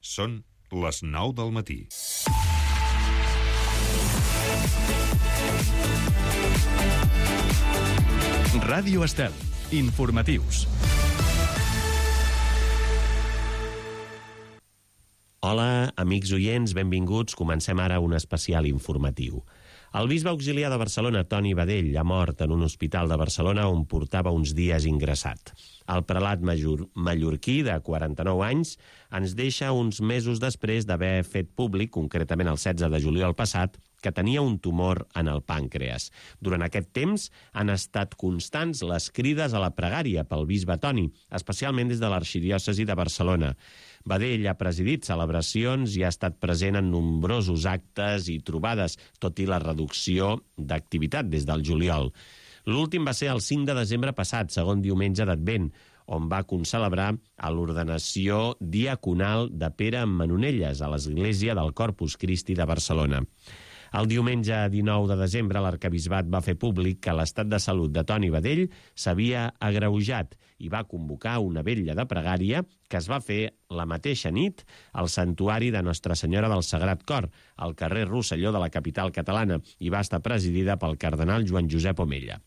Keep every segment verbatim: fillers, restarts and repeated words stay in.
Són les nou del matí. Ràdio Estel. Informatius. Hola, amics oients, benvinguts. Comencem ara un especial informatiu. El bisbe auxiliar de Barcelona, Toni Badell, ha mort en un hospital de Barcelona on portava uns dies ingressat. El prelat major, mallorquí, de quaranta-nou anys, ens deixa uns mesos després d'haver fet públic, concretament el setze de juliol passat, que tenia un tumor en el pàncreas. Durant aquest temps han estat constants les crides a la pregària pel bisbe Toni, especialment des de l'arxidiòcesi de Barcelona. Badell ha presidit celebracions i ha estat present en nombrosos actes i trobades, tot i la reducció d'activitat des del juliol. L'últim va ser el cinc de desembre passat, segon diumenge d'Advent, on va concelebrar a l'ordenació diaconal de Pere Manonelles a l'església del Corpus Christi de Barcelona. El diumenge dinou de desembre l'arquebisbat va fer públic que l'estat de salut de Toni Badell s'havia agreujat i va convocar una vetlla de pregària que es va fer la mateixa nit al santuari de Nostra Senyora del Sagrat Cor, al carrer Rosselló de la capital catalana, i va estar presidida pel cardenal Joan Josep Omella.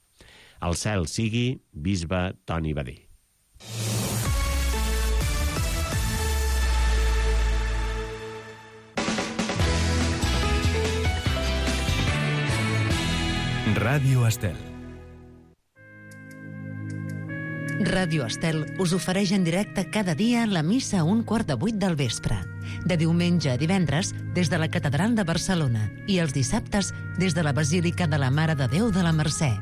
El cel sigui bisbe Toni Badell. Ràdio Estel. Ràdio Estel us ofereix en directe cada dia la missa a un quart de vuit del vespre. De diumenge a divendres, des de la Catedral de Barcelona, i els dissabtes, des de la Basílica de la Mare de Déu de la Mercè.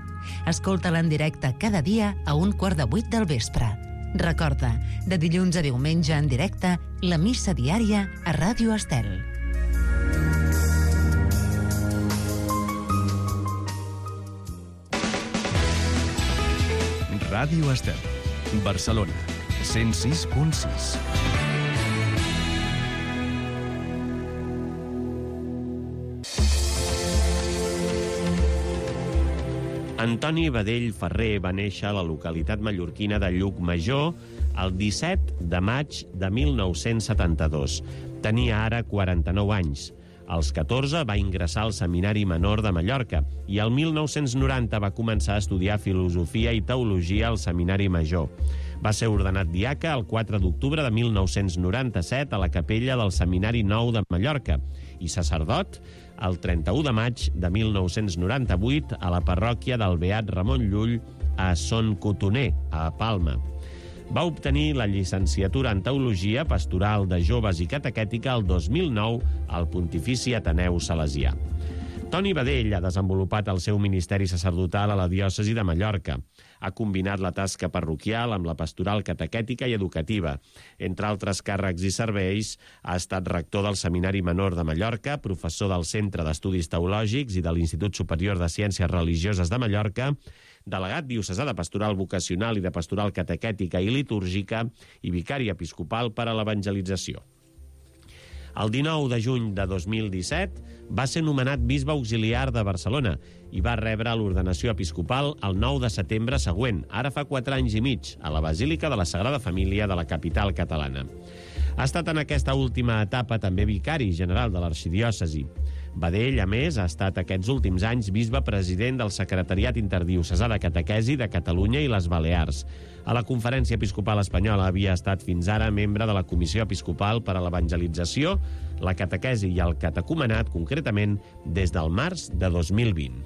Escolta-la en directe cada dia a un quart de vuit del vespre. Recorda, de dilluns a diumenge en directe, la missa diària a Ràdio Estel. Ràdio Estel. Barcelona. cent sis punt sis. Antoni Badell Ferrer va néixer a la localitat mallorquina de Llucmajor el disset de maig de mil nou-cents setanta-dos. Tenia ara quaranta-nou anys. Als catorze va ingressar al Seminari Menor de Mallorca i el mil nou-cents noranta va començar a estudiar filosofia i teologia al Seminari Major. Va ser ordenat diaca el quatre d'octubre de mil nou-cents noranta-set a la capella del Seminari Nou de Mallorca i sacerdot el trenta-u de maig de mil nou-cents noranta-vuit a la parròquia del Beat Ramon Llull a Son Cotoner, a Palma. Va obtenir la llicenciatura en Teologia Pastoral de Joves i Catequètica el dos mil nou al Pontifici Ateneu Salesià. Toni Badell ha desenvolupat el seu ministeri sacerdotal a la diòcesi de Mallorca. Ha combinat la tasca parroquial amb la pastoral catequètica i educativa. Entre altres càrrecs i serveis, ha estat rector del Seminari Menor de Mallorca, professor del Centre d'Estudis Teològics i de l'Institut Superior de Ciències Religioses de Mallorca, delegat diocesà de pastoral vocacional i de pastoral catequètica i litúrgica i vicari episcopal per a l'evangelització. El dinou de juny de dos mil disset va ser nomenat bisbe auxiliar de Barcelona i va rebre l'ordenació episcopal el nou de setembre següent, ara fa quatre anys i mig, a la Basílica de la Sagrada Família de la capital catalana. Ha estat en aquesta última etapa també vicari general de l'arxidiòcesi. Badell, a més, ha estat aquests últims anys bisbe president del Secretariat Interdiocesà de Catequesi de Catalunya i les Balears. A la Conferència Episcopal Espanyola havia estat fins ara membre de la Comissió Episcopal per a l'Evangelització, la Catequesi i el Catecumenat, concretament des del març de dos mil vint.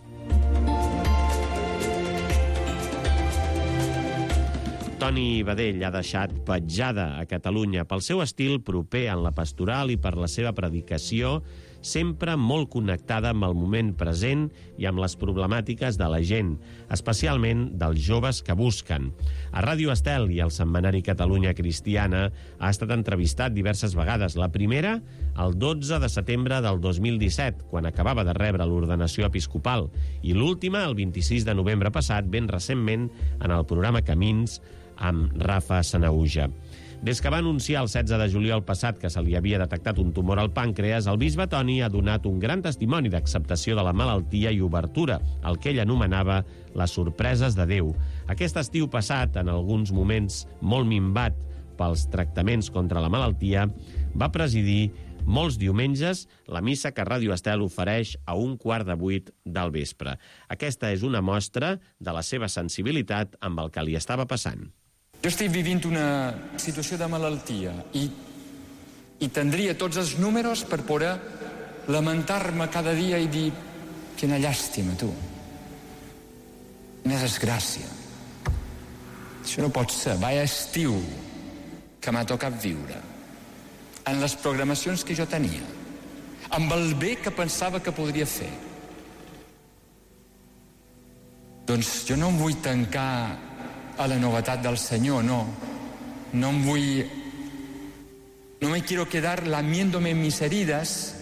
Toni Badell ha deixat petjada a Catalunya pel seu estil proper en la pastoral i per la seva predicació, sempre molt connectada amb el moment present i amb les problemàtiques de la gent, especialment dels joves que busquen. A Ràdio Estel i al Setmanari Catalunya Cristiana ha estat entrevistat diverses vegades. La primera, el dotze de setembre del dos mil disset, quan acabava de rebre l'ordenació episcopal, i l'última, el vint-i-sis de novembre passat, ben recentment, en el programa Camins, amb Rafa Sanahuja. Des que va anunciar el setze de juliol passat que se li havia detectat un tumor al pàncreas, el bisbe Toni ha donat un gran testimoni d'acceptació de la malaltia i obertura, el que ell anomenava les sorpreses de Déu. Aquest estiu passat, en alguns moments molt minvat pels tractaments contra la malaltia, va presidir molts diumenges la missa que Ràdio Estel ofereix a un quart de vuit del vespre. Aquesta és una mostra de la seva sensibilitat amb el que li estava passant. Jo estic vivint una situació de malaltia i, i tindria tots els números per poder lamentar-me cada dia i dir quina llàstima, tu. Quina desgràcia. Això no pot ser. Vaya estiu que m'ha tocat viure. En les programacions que jo tenia, amb el bé que pensava que podria fer. Doncs jo no em vull tancar a la novetat del Senyor, no. No em vull... No me quiero quedar lamiéndome en mis heridas,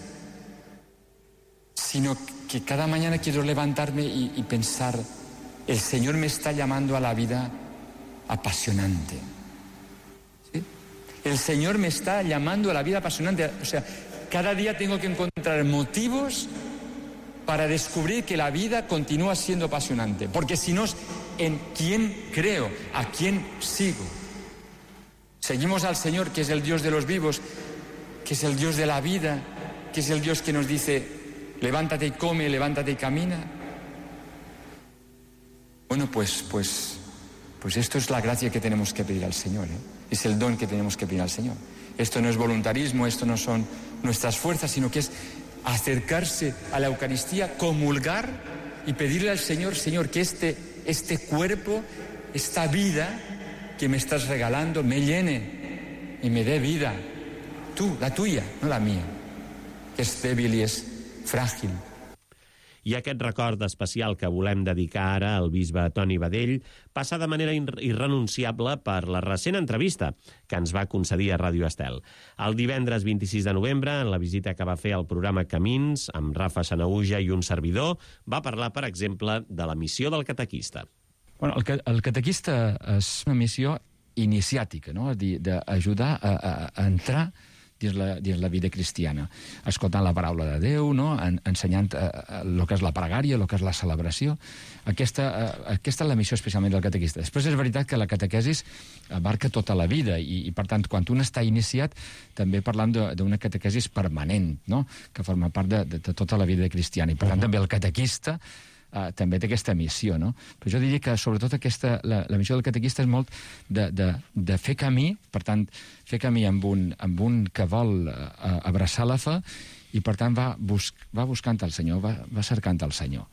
sino que cada mañana quiero levantarme y, y pensar, el Señor me está llamando a la vida apasionante. El Señor me está llamando a la vida apasionante. O sea, cada día tengo que encontrar motivos para descubrir que la vida continúa siendo apasionante. Porque si no, ¿en quién creo? ¿A quién sigo? Seguimos al Señor, que es el Dios de los vivos, que es el Dios de la vida, que es el Dios que nos dice, levántate y come, levántate y camina. Bueno, pues, pues, pues esto es la gracia que tenemos que pedir al Señor, ¿eh? Es el don que tenemos que pedir al Señor. Esto no es voluntarismo, esto no son nuestras fuerzas, sino que es acercarse a la Eucaristía, comulgar y pedirle al Señor, Señor, que este, este cuerpo, esta vida que me estás regalando, me llene y me dé vida. Tú, la tuya, no la mía, que es débil y es frágil. I aquest record especial que volem dedicar ara al bisbe Toni Badell passa de manera irrenunciable per la recent entrevista que ens va concedir a Ràdio Estel. El divendres vint-i-sis de novembre, en la visita que va fer al programa Camins, amb Rafa Sanahuja i un servidor, va parlar, per exemple, de la missió del catequista. Bueno, el, el catequista és una missió iniciàtica, no? És a dir, d'ajudar a, a, a entrar dins la, dins la vida cristiana, escoltant la paraula de Déu, no? En, ensenyant el que és la pregària, el que és la celebració. Aquesta, uh, aquesta és la missió especialment del catequista. Després és veritat que la catequesis abarca tota la vida i, i per tant, quan un està iniciat, també parlam d'una catequesis permanent, no? Que forma part de, de, de tota la vida cristiana. I per tant, uh-huh. també el catequista Uh, també té aquesta missió, no? Però jo diria que, sobretot, aquesta, la, la missió del catequista és molt de, de, de fer camí, per tant, fer camí amb un, amb un que vol uh, abraçar la fe i, per tant, va, bus va buscant el Senyor, va, va cercant el Senyor.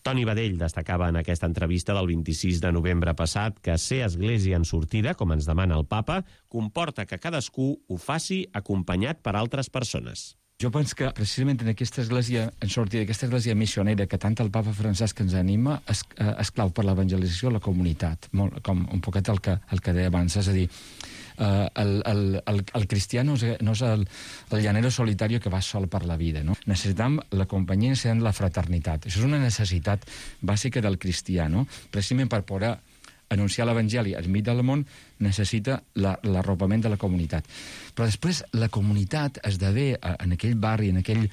Toni Badell destacava en aquesta entrevista del vint-i-sis de novembre passat que ser església en sortida, com ens demana el papa, comporta que cadascú ho faci acompanyat per altres persones. Jo penso que precisament en aquesta església en sortida, aquesta església missionera que tant el papa Francesc ens anima, és, és clau per l'evangelització a la comunitat, molt, com un poquet el que, el que deia abans, és a dir, Uh, el, el, el, el cristià no és, no és el, el llanero solitario que va sol per la vida, no? Necessitam la companyia, necessitam la fraternitat. Això és una necessitat bàsica del cristià, no? Precisament per poder anunciar l'Evangeli al mig del món necessita l'arropament de la comunitat. Però després la comunitat esdevé en aquell barri, en aquell,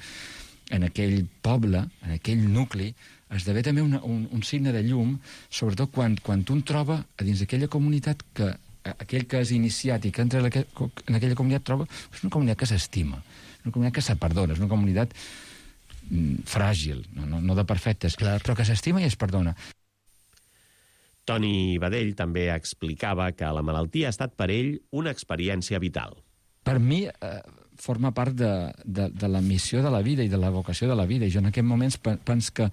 en aquell poble, en aquell nucli, esdevé també una, un, un signe de llum, sobretot quan, quan un troba a dins d'aquella comunitat que aquell que és iniciat i que entra en aquella comunitat troba és una comunitat que s'estima, una comunitat que se perdona, és una comunitat mm, fràgil, no, no, no de perfectes, clar, però que s'estima i es perdona. Toni Badell també explicava que la malaltia ha estat per ell una experiència vital. Per mi eh, forma part de, de, de la missió de la vida i de la vocació de la vida, i jo en aquests moments penso que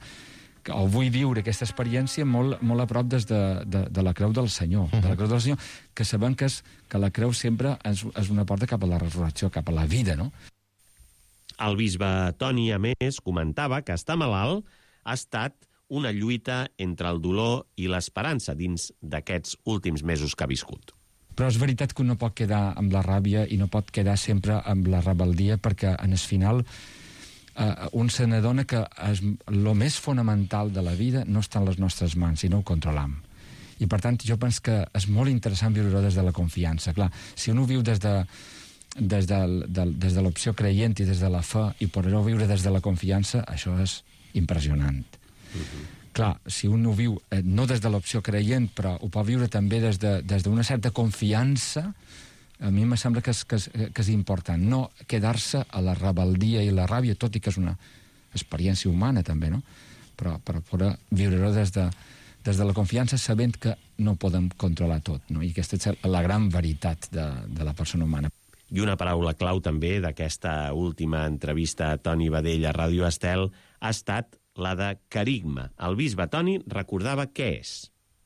o vull viure aquesta experiència molt, molt a prop des de, de, de la creu del Senyor, uh-huh. de la creu del Senyor, que sabem que, és, que la creu sempre és, és una porta cap a la resurrecció, cap a la vida, no? El bisbe Toni, a més, comentava que estar malalt ha estat una lluita entre el dolor i l'esperança dins d'aquests últims mesos que ha viscut. Però és veritat que un no pot quedar amb la ràbia i no pot quedar sempre amb la rebel·lia, perquè en el final Uh, un se n'adona que el més fonamental de la vida no està en les nostres mans, sinó ho controlam. I, per tant, jo penso que és molt interessant viure-ho des de la confiança. Clar, si un ho viu des de, des de, de, des de l'opció creient i des de la fe i poder-ho viure des de la confiança, això és impressionant. Uh-huh. Clar, si un ho viu eh, no des de l'opció creient, però ho pot viure també des de, des d'una certa confiança, a mi me sembla que és, que és, que és important. No quedar-se a la rebeldia i la ràbia, tot i que és una experiència humana també, no? Però, però poder viure-ho des de, des de la confiança sabent que no podem controlar tot, no? I aquesta és la gran veritat de, de la persona humana. I una paraula clau també d'aquesta última entrevista a Toni Badell a Ràdio Estel ha estat la de carigma. El bisbe Toni recordava què és.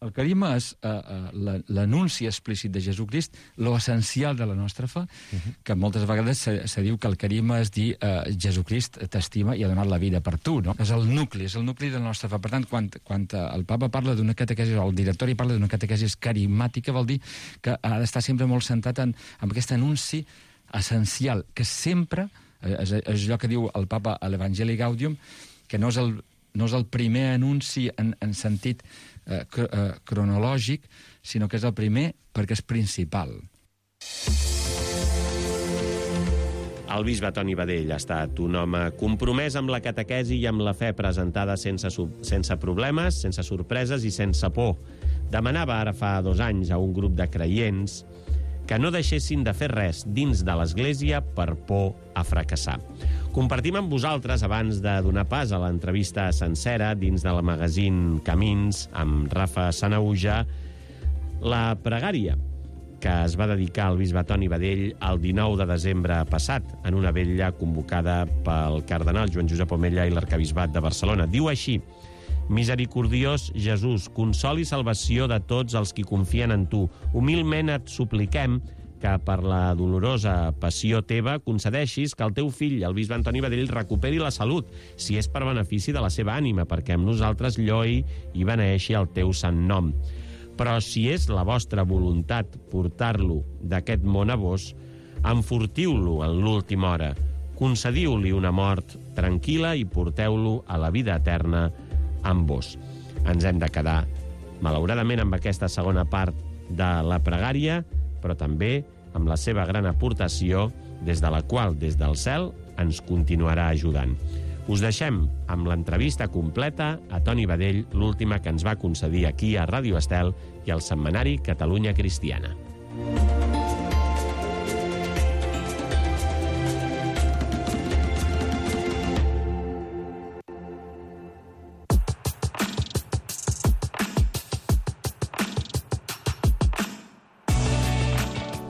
El carigma és uh, uh, l'anunci explícit de Jesucrist, lo essencial de la nostra fe, uh-huh. que moltes vegades se, se diu que el carigma és dir uh, Jesucrist t'estima i ha donat la vida per tu, no? És el nucli, és el nucli de la nostra fe. Per tant, quan, quan el papa parla d'una catequesi, o el directori parla d'una catequesi carismàtica, vol dir que ha d'estar sempre molt centrat en, en aquest anunci essencial, que sempre, és, és allò que diu el papa a l'Evangeli Gaudium, que no és el, no és el primer anunci en, en sentit eh, cr eh, cronològic, sinó que és el primer perquè és principal. El bisbe Toni Badell ha estat un home compromès amb la catequesi i amb la fe presentada sense, sense problemes, sense sorpreses i sense por. Demanava ara fa dos anys a un grup de creients que no deixessin de fer res dins de l'Església per por a fracassar. Compartim amb vosaltres, abans de donar pas a l'entrevista sencera dins del magazín Camins amb Rafa Sanauja, la pregària que es va dedicar al bisbe Toni Badell el dinou de desembre passat en una vetlla convocada pel cardenal Joan Josep Omella i l'arcabisbat de Barcelona. Diu així: misericordiós Jesús, consol i salvació de tots els qui confien en tu. Humilment et supliquem que per la dolorosa passió teva concedeixis que el teu fill, el bisbe Antoni Badell, recuperi la salut, si és per benefici de la seva ànima, perquè amb nosaltres lloi i beneixi el teu sant nom. Però si és la vostra voluntat portar-lo d'aquest món a vos, enfortiu-lo en l'última hora, concediu-li una mort tranquil·la i porteu-lo a la vida eterna amb vos. Ens hem de quedar, malauradament, amb aquesta segona part de la pregària, però també amb la seva gran aportació, des de la qual, des del cel, ens continuarà ajudant. Us deixem amb l'entrevista completa a Toni Badell, l'última que ens va concedir aquí a Ràdio Estel i al setmanari Catalunya Cristiana.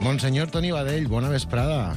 Monsenyor Toni Badell, bona vesprada.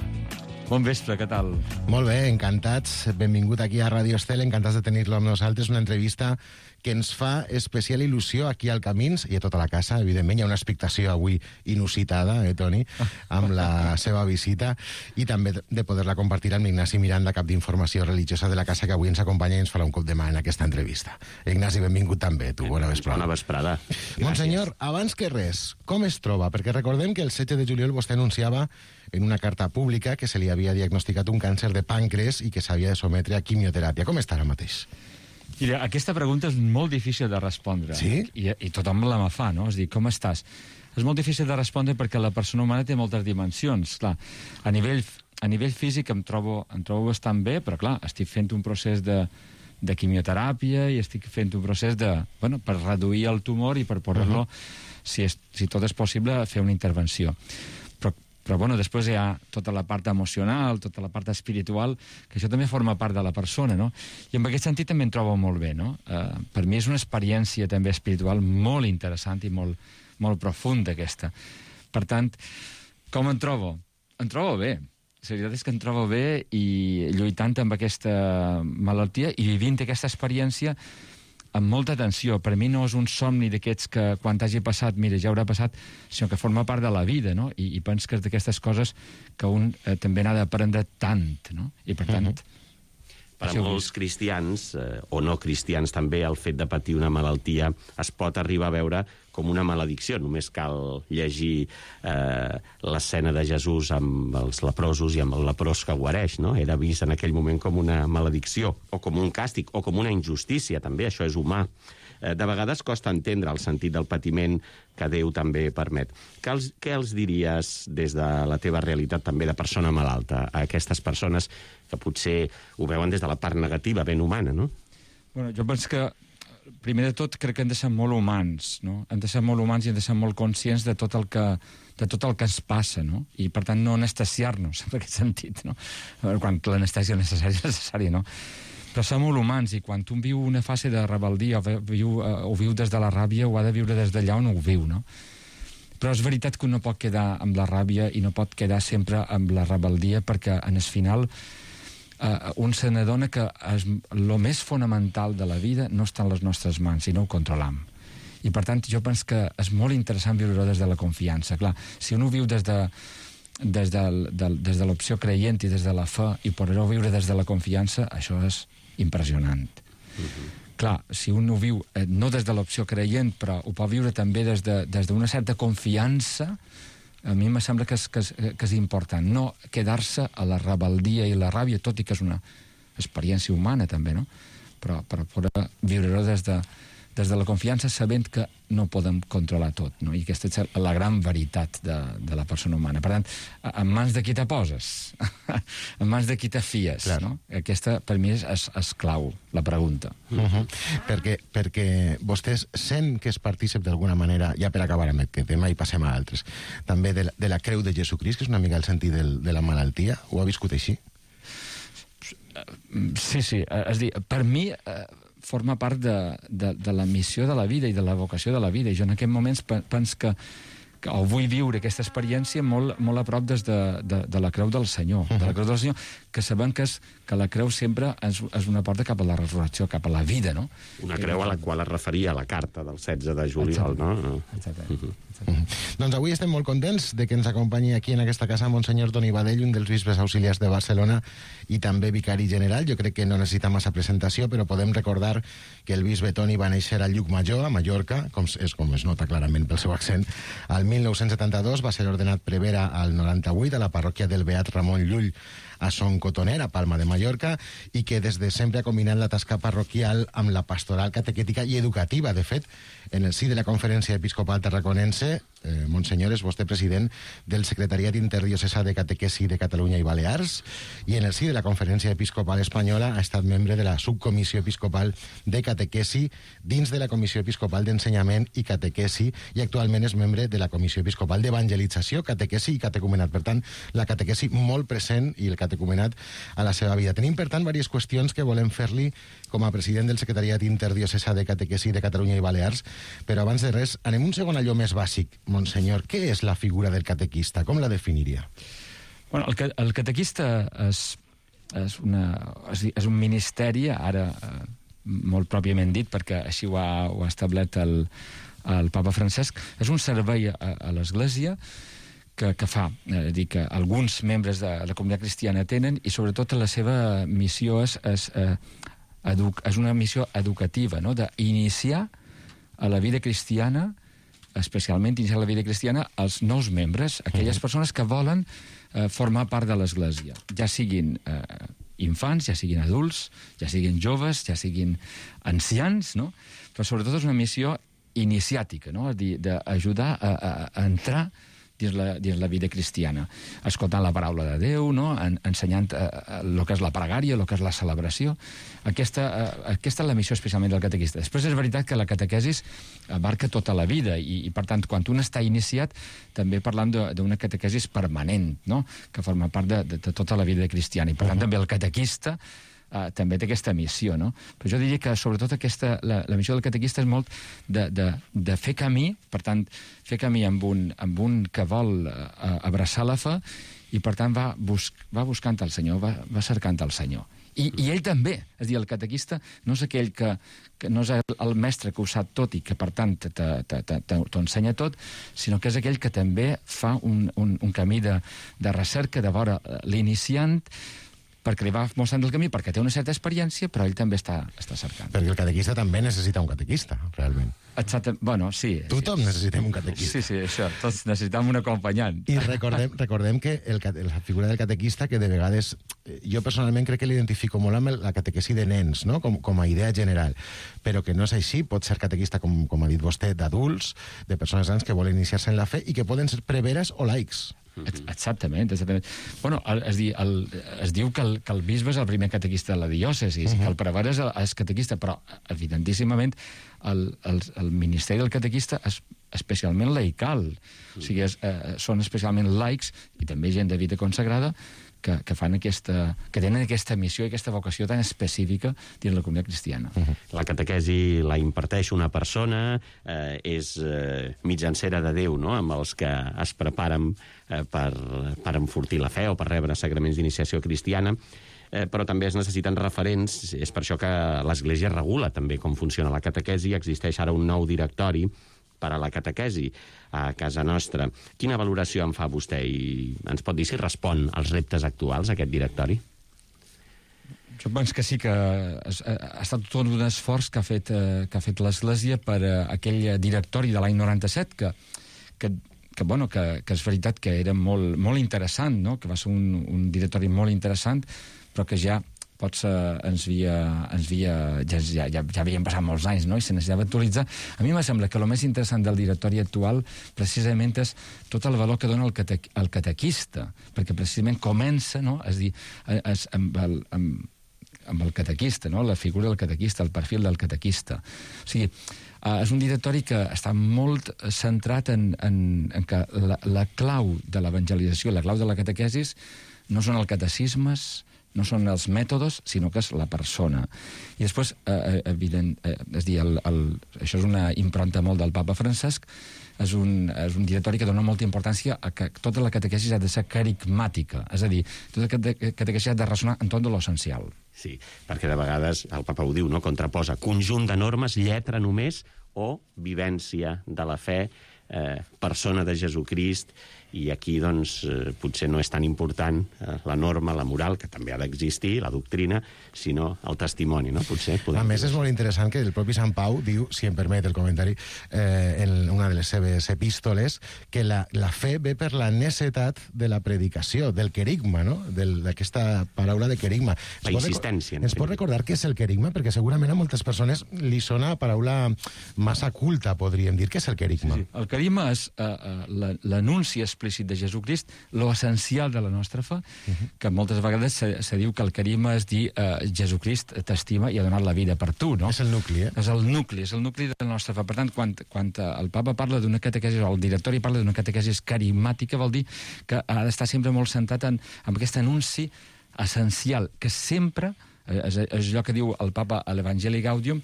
Bon vespre, què tal? Molt bé, encantats. Benvingut aquí a Ràdio Estel, encantats de tenir-lo amb nosaltres. Una entrevista que ens fa especial il·lusió aquí al Camins i a tota la casa, evidentment. Hi ha una expectació avui inusitada, eh, Toni, amb la seva visita, i també de poder-la compartir amb Ignasi Miranda, cap d'informació religiosa de la casa, que avui ens acompanya i ens farà un cop de mà en aquesta entrevista. Ignasi, benvingut també, tu. Bona vesprada. Bona vesprada. Monsenyor, abans que res, com es troba? Perquè recordem que el setze de juliol vostè anunciava en una carta pública que se li havia diagnosticat un càncer de pàncreas i que s'havia de sometre a quimioteràpia. Com està ara mateix? Mira, aquesta pregunta és molt difícil de respondre. Sí? I, i tothom la me fa, no? És dir, com estàs? És molt difícil de respondre perquè la persona humana té moltes dimensions. Clar, a nivell, a nivell físic em trobo, em trobo bastant bé, però clar, estic fent un procés de, de quimioteràpia i estic fent un procés de, bueno, per reduir el tumor i per poder-lo, uh-huh. si, és, si tot és possible, fer una intervenció. Però Però, bueno, després hi ha tota la part emocional, tota la part espiritual, que això també forma part de la persona, no? I en aquest sentit també em trobo molt bé, no? Uh, per mi és una experiència també espiritual molt interessant i molt, molt profunda, aquesta. Per tant, com em trobo? Em trobo bé. La veritat és que em trobo bé i lluitant amb aquesta malaltia i vivint aquesta experiència amb molta atenció. Per mi no és un somni d'aquests que quan t'hagi passat, mira, ja haurà passat, sinó que forma part de la vida, no? I, i penso que és d'aquestes coses que un eh, també n'ha d'aprendre tant, no? I per tant... Uh-huh. Per a molts cristians, eh, o no cristians també, el fet de patir una malaltia es pot arribar a veure com una maledicció. Només cal llegir eh, l'escena de Jesús amb els leprosos i amb el leprós que guareix, no? Era vist en aquell moment com una maledicció, o com un càstig, o com una injustícia, també, això és humà. Eh, de vegades costa entendre el sentit del patiment que Déu també permet. Què els, què els diries des de la teva realitat també de persona malalta a aquestes persones que potser ho veuen des de la part negativa, ben humana, no? Bueno, jo penso que, primer de tot, crec que hem de ser molt humans, no? Hem de ser molt humans i hem de ser molt conscients de tot el que, de tot el que ens passa, no? I, per tant, no anestesiar-nos, en aquest sentit, no? Quan l'anestèsia necessària és necessària, no? Però som molt humans, i quan un viu una fase de rebel·lia, o viu, o viu des de la ràbia, ho ha de viure des d'allà on ho viu, no? Però és veritat que un no pot quedar amb la ràbia i no pot quedar sempre amb la rebel·lia, perquè en el final eh, un se n'adona que el més fonamental de la vida no està en les nostres mans i no ho controlam. I per tant jo penso que és molt interessant viure-ho des de la confiança. Clar, si un ho viu des de, des de, de, des de l'opció creient i des de la fe i poder-ho viure des de la confiança, això és impressionant. Uh-huh. Clar, si un ho viu eh, no des de l'opció creient, però ho pot viure també des de, des d'una certa confiança, a mi em sembla que és, que, és, que és important. No quedar-se a la rebel·lia i la ràbia, tot i que és una experiència humana també, no? Però, però poder viure-ho des de, des de la confiança, sabent que no podem controlar tot, no? I aquesta és la gran veritat de, de la persona humana. Per tant, en mans de qui te poses? En mans de qui te fies, clar, no? Aquesta, per mi, és, és, és clau, la pregunta. Uh-huh. perquè, perquè vostès sent que és partícip d'alguna manera, ja per acabar amb aquest tema i passem a altres, també de la, de la creu de Jesucrist, que és una mica el sentit del, de la malaltia, ho ha viscut així? Sí, sí, és a dir, per mi eh, forma part de, de, de la missió de la vida i de la vocació de la vida, i jo en aquests moments penso que, que o vull viure aquesta experiència molt, molt a prop des de, de, de la creu del Senyor, uh-huh. de la creu del Senyor, que sabem que, és, que la creu sempre és, és una porta cap a la resurrecció, cap a la vida, no? Una creu a la qual es referia a la carta del setze de juliol, exacte, no? Exacte. Uh-huh. Uh-huh. Doncs avui estem molt contents de que ens acompanyi aquí en aquesta casa Monsenyor Toni Badell, un dels bisbes auxiliars de Barcelona i també vicari general. Jo crec que no necessita massa presentació, però podem recordar que el bisbe Toni va néixer a Llucmajor, a Mallorca, com és com es nota clarament pel seu accent. Al mil nou-cents setanta-dos va ser ordenat prevere al noranta-vuit a la parròquia del Beat Ramon Llull a Son Cotoner, a Palma de Mallorca, i que des de sempre ha combinat la tasca parroquial amb la pastoral catequètica i educativa. De fet, en el si de la Conferència Episcopal Tarraconense, eh, Monsenyor, és vostè president del Secretariat Interdiocesà de Catequesi de Catalunya i Balears, i en el si de la Conferència Episcopal Espanyola ha estat membre de la Subcomissió Episcopal de Catequesi dins de la Comissió Episcopal d'Ensenyament i Catequesi, i actualment és membre de la Comissió Episcopal d'Evangelització, Catequesi i Catecumenat. Per tant, la catequesi molt present i el catecumenat a la seva vida. Tenim, per tant, diverses qüestions que volem fer-li com a president del Secretariat Interdiocesà de Catequesi de Catalunya i Balears, però abans de res, anem un segon allò més bàsic. Monsenyor, què és la figura del catequista? Com la definiria? Bueno, el, el catequista és, és, una, és, és un ministeri, ara eh, molt pròpiament dit, perquè així ho ha, ho ha establert el, el papa Francesc, és un servei a, a l'Església que, que fa, eh, dir que alguns membres de la comunitat cristiana tenen, i sobretot la seva missió és, és, eh, edu- és una missió educativa, no? D'iniciar a la vida cristiana, especialment iniciar la vida cristiana, als nous membres, aquelles persones que volen eh, formar part de l'Església, ja siguin eh, infants, ja siguin adults, ja siguin joves, ja siguin ancians, no? Però sobretot és una missió iniciàtica, no? És a dir, d'ajudar a, a, a entrar dins la, dins la vida cristiana, escoltant la paraula de Déu, no? En, ensenyant el que és la pregària, el que és la celebració. Aquesta, uh, aquesta és la missió especialment del catequista. Després és veritat que la catequesis abarca tota la vida, i, i per tant, quan un està iniciat, també parlam d'una catequesis permanent, no? Que forma part de, de, de tota la vida cristiana, i per tant també el catequista Uh, també té aquesta missió, no? Però jo diria que sobretot aquesta, la, la missió del catequista és molt de, de, de fer camí, per tant, fer camí amb un, amb un que vol uh, abraçar la fe, i per tant va, bus, va buscant el Senyor, va, va cercant el Senyor. I, I ell també, és a dir, el catequista no és aquell que, que no és el, el mestre que ho sap tot i que per tant t'ho ensenya tot, sinó que és aquell que també fa un, un, un camí de, de recerca, de veure l'iniciant, perquè li va mostrant el camí, perquè té una certa experiència, però ell també està, està cercant. Perquè el catequista també necessita un catequista, realment. Exacte, bueno, sí. Tothom sí. necessitem un catequista. Sí, sí, això, tots necessitem un acompanyant. I recordem, recordem que el, la figura del catequista, que de vegades, jo personalment crec que l'identifico molt amb la catequesi de nens, no? com, com a idea general, però que no és així, pot ser catequista, com, com ha dit vostè, d'adults, de persones grans que volen iniciar-se en la fe i que poden ser preveres o laics. Exactament, exactament. Bueno, es, di, el, es diu que el, que el bisbe és el primer catequista de la diòcesi, uh-huh. que el prevere és, és catequista, però evidentíssimament el, el, el ministeri del catequista es, especialment laical. O sigui, és, eh, són especialment laics, i també gent de vida consagrada, que, que, fan aquesta, que tenen aquesta missió i aquesta vocació tan específica dins la comunitat cristiana. Uh-huh. La catequesi la imparteix una persona, eh, és eh, mitjancera de Déu, no?, amb els que es preparen eh, per, per enfortir la fe o per rebre sacraments d'iniciació cristiana, eh, però també es necessiten referents. És per això que l'Església regula també com funciona la catequesi. Existeix ara un nou directori per a la catequesi a casa nostra. Quina valoració en fa vostè i ens pot dir si respon als reptes actuals aquest directori? Jo penso que sí que ha, ha estat tot un esforç que ha fet, eh, que ha fet l'Església per eh, aquell directori de l'any noranta-set que, que, que, bueno, que, que és veritat que era molt, molt interessant, no? Que va ser un, un directori molt interessant, però que ja potser ens havia, ens havia, ja, ja, ja, ja havien passat molts anys, no?, i se necessitava actualitzar. A mi me sembla que el més interessant del directori actual precisament és tot el valor que dona el, cate, el catequista, perquè precisament comença, no?, és dir, és, amb, el, amb, amb el catequista, no?, la figura del catequista, el perfil del catequista. O sigui, uh, és un directori que està molt centrat en, en, en que la, la clau de l'evangelització, la clau de la catequesis, no són els catecismes, no són els mètodes, sinó que és la persona. I després, eh, evident, eh, és dir, el, el, això és una impronta molt del papa Francesc, és un, és un directori que dona molta importància a que tota la catequesis ha de ser carigmàtica, és a dir, tota la catequesis ha de ressonar en tot de l'essencial. Sí, perquè de vegades el papa ho diu, no?, contraposa conjunt de normes, lletra només, o vivència de la fe, eh, persona de Jesucrist. I aquí, doncs, eh, potser no és tan important eh, la norma, la moral, que també ha d'existir, la doctrina, sinó el testimoni, no? Potser podem... A més, és molt interessant que el propi Sant Pau diu, si em permet el comentari, eh, en una de les seves epístoles, que la, la fe ve per la necessitat de la predicació, del querigma, no?, d'aquesta paraula de querigma. La insistència. Ens pot recordar què és el querigma? Perquè segurament a moltes persones li sona paraula massa culta, podríem dir. Què és el querigma? Sí, sí. El querigma és uh, uh, l'anunci explícit de Jesucrist, lo essencial de la nostra fe, uh-huh. que moltes vegades se, se diu que el querigma és dir uh, Jesucrist t'estima i ha donat la vida per tu, no? És el nucli, eh? És el nucli, és el nucli de la nostra fe. Per tant, quan, quan el papa parla d'una catequesis, o el directori parla d'una catequesis carismàtica, vol dir que ha d'estar sempre molt centrat en, en aquest anunci essencial, que sempre, és, és allò que diu el papa a l'Evangeli Gaudium,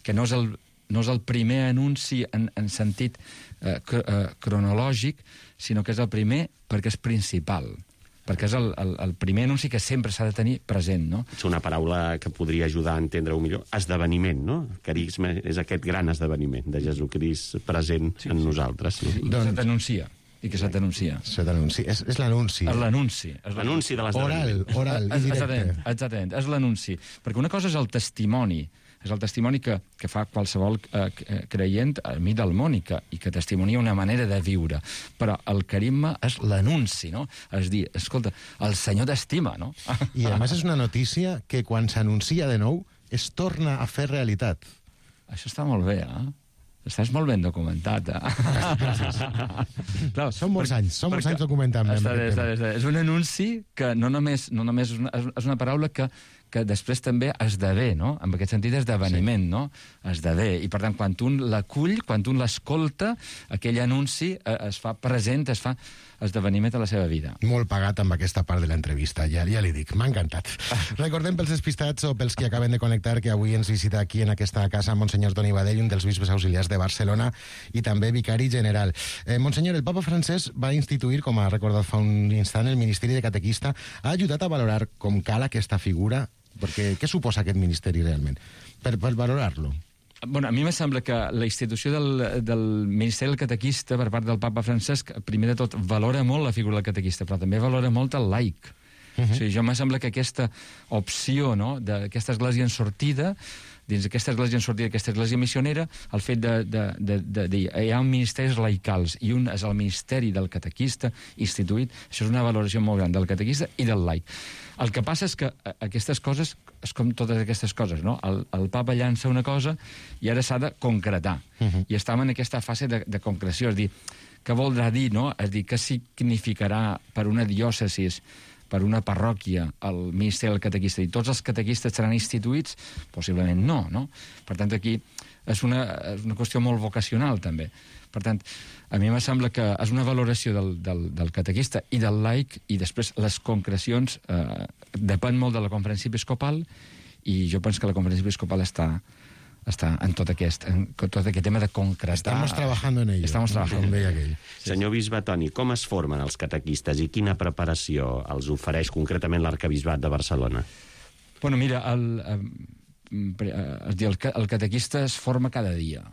que no és el, no és el primer anunci en, en sentit eh, cr eh, cronològic, sinó que és el primer perquè és principal, perquè és el, el, el primer anunci que sempre s'ha de tenir present, no? És una paraula que podria ajudar a entendre-ho millor. Esdeveniment, no? Carisma és aquest gran esdeveniment de Jesucrist present sí, en sí. nosaltres. No? I que doncs... se t'anuncia. I que se t'anuncia. Se t'anuncia. És, és l'anunci. És l'anunci. L'anunci de l'esdeveniment. Oral, oral i directe. Exactament, exactament. És l'anunci. Perquè una cosa és el testimoni, és el testimoni que, que fa qualsevol eh, creient a mi del món i que, i que testimonia una manera de viure. Però el carisma és l'anunci, no? És dir, escolta, el Senyor t'estima, no? I a més és una notícia que quan s'anuncia de nou es torna a fer realitat. Això està molt bé, eh? Estàs molt ben documentat, eh? Clar, són molts anys, són molts anys documentant. Està, està, està, és un anunci que no només, no només és, una, és una paraula que, que després també esdevé, no? En aquest sentit, esdeveniment, sí. no? Esdevé. I, per tant, quan tu l'acull, quan tu l'escolta, aquell anunci eh, es fa present, es fa esdeveniment a la seva vida. Molt pagat amb aquesta part de l'entrevista, ja, ja li dic, m'ha encantat. Recordem pels despistats o pels que acaben de connectar que avui ens visita aquí en aquesta casa Monsenyor Toni Badell, un dels bisbes auxiliars de Barcelona i també vicari general. Eh, Monsenyor, el papa Francesc va instituir, com ha recordat fa un instant, el Ministeri de Catequista. Ha ajudat a valorar com cal aquesta figura? Perquè què suposa aquest ministeri realment? Per, per valorar-lo. Bueno, a mi me sembla que la institució del, del Ministeri del Catequista per part del papa Francesc, primer de tot, valora molt la figura del catequista, però també valora molt el laic. Uh-huh. O sigui, jo me sembla que aquesta opció, no?, d'aquesta església en sortida, dins d'aquesta església en sortida, aquesta església missionera, el fet de, de, de, de dir hi ha un ministeris laicals i un és el ministeri del catequista instituït, això és una valoració molt gran del catequista i del laic. El que passa és que aquestes coses, és com totes aquestes coses, no? El, el papa llança una cosa i ara s'ha de concretar. Uh-huh. I estem en aquesta fase de, de concreció, és dir, què voldrà dir, no? És dir, què significarà per una diòcesis per una parròquia al ministeri del catequista i tots els catequistes seran instituïts, possiblement no, no? Per tant, aquí és una, és una qüestió molt vocacional, també. Per tant, a mi me sembla que és una valoració del, del, del catequista i del laic, i després les concrecions eh, depèn molt de la conferència episcopal, i jo penso que la conferència episcopal està està en tot aquest, en tot aquest tema de concretar... Estamos trabajando en ello. Estamos trabajando en ello. Senyor bisbe Toni, com es formen els catequistes i quina preparació els ofereix concretament l'Arquebisbat de Barcelona? Bueno, mira, el, es dir, el, el catequista es forma cada dia.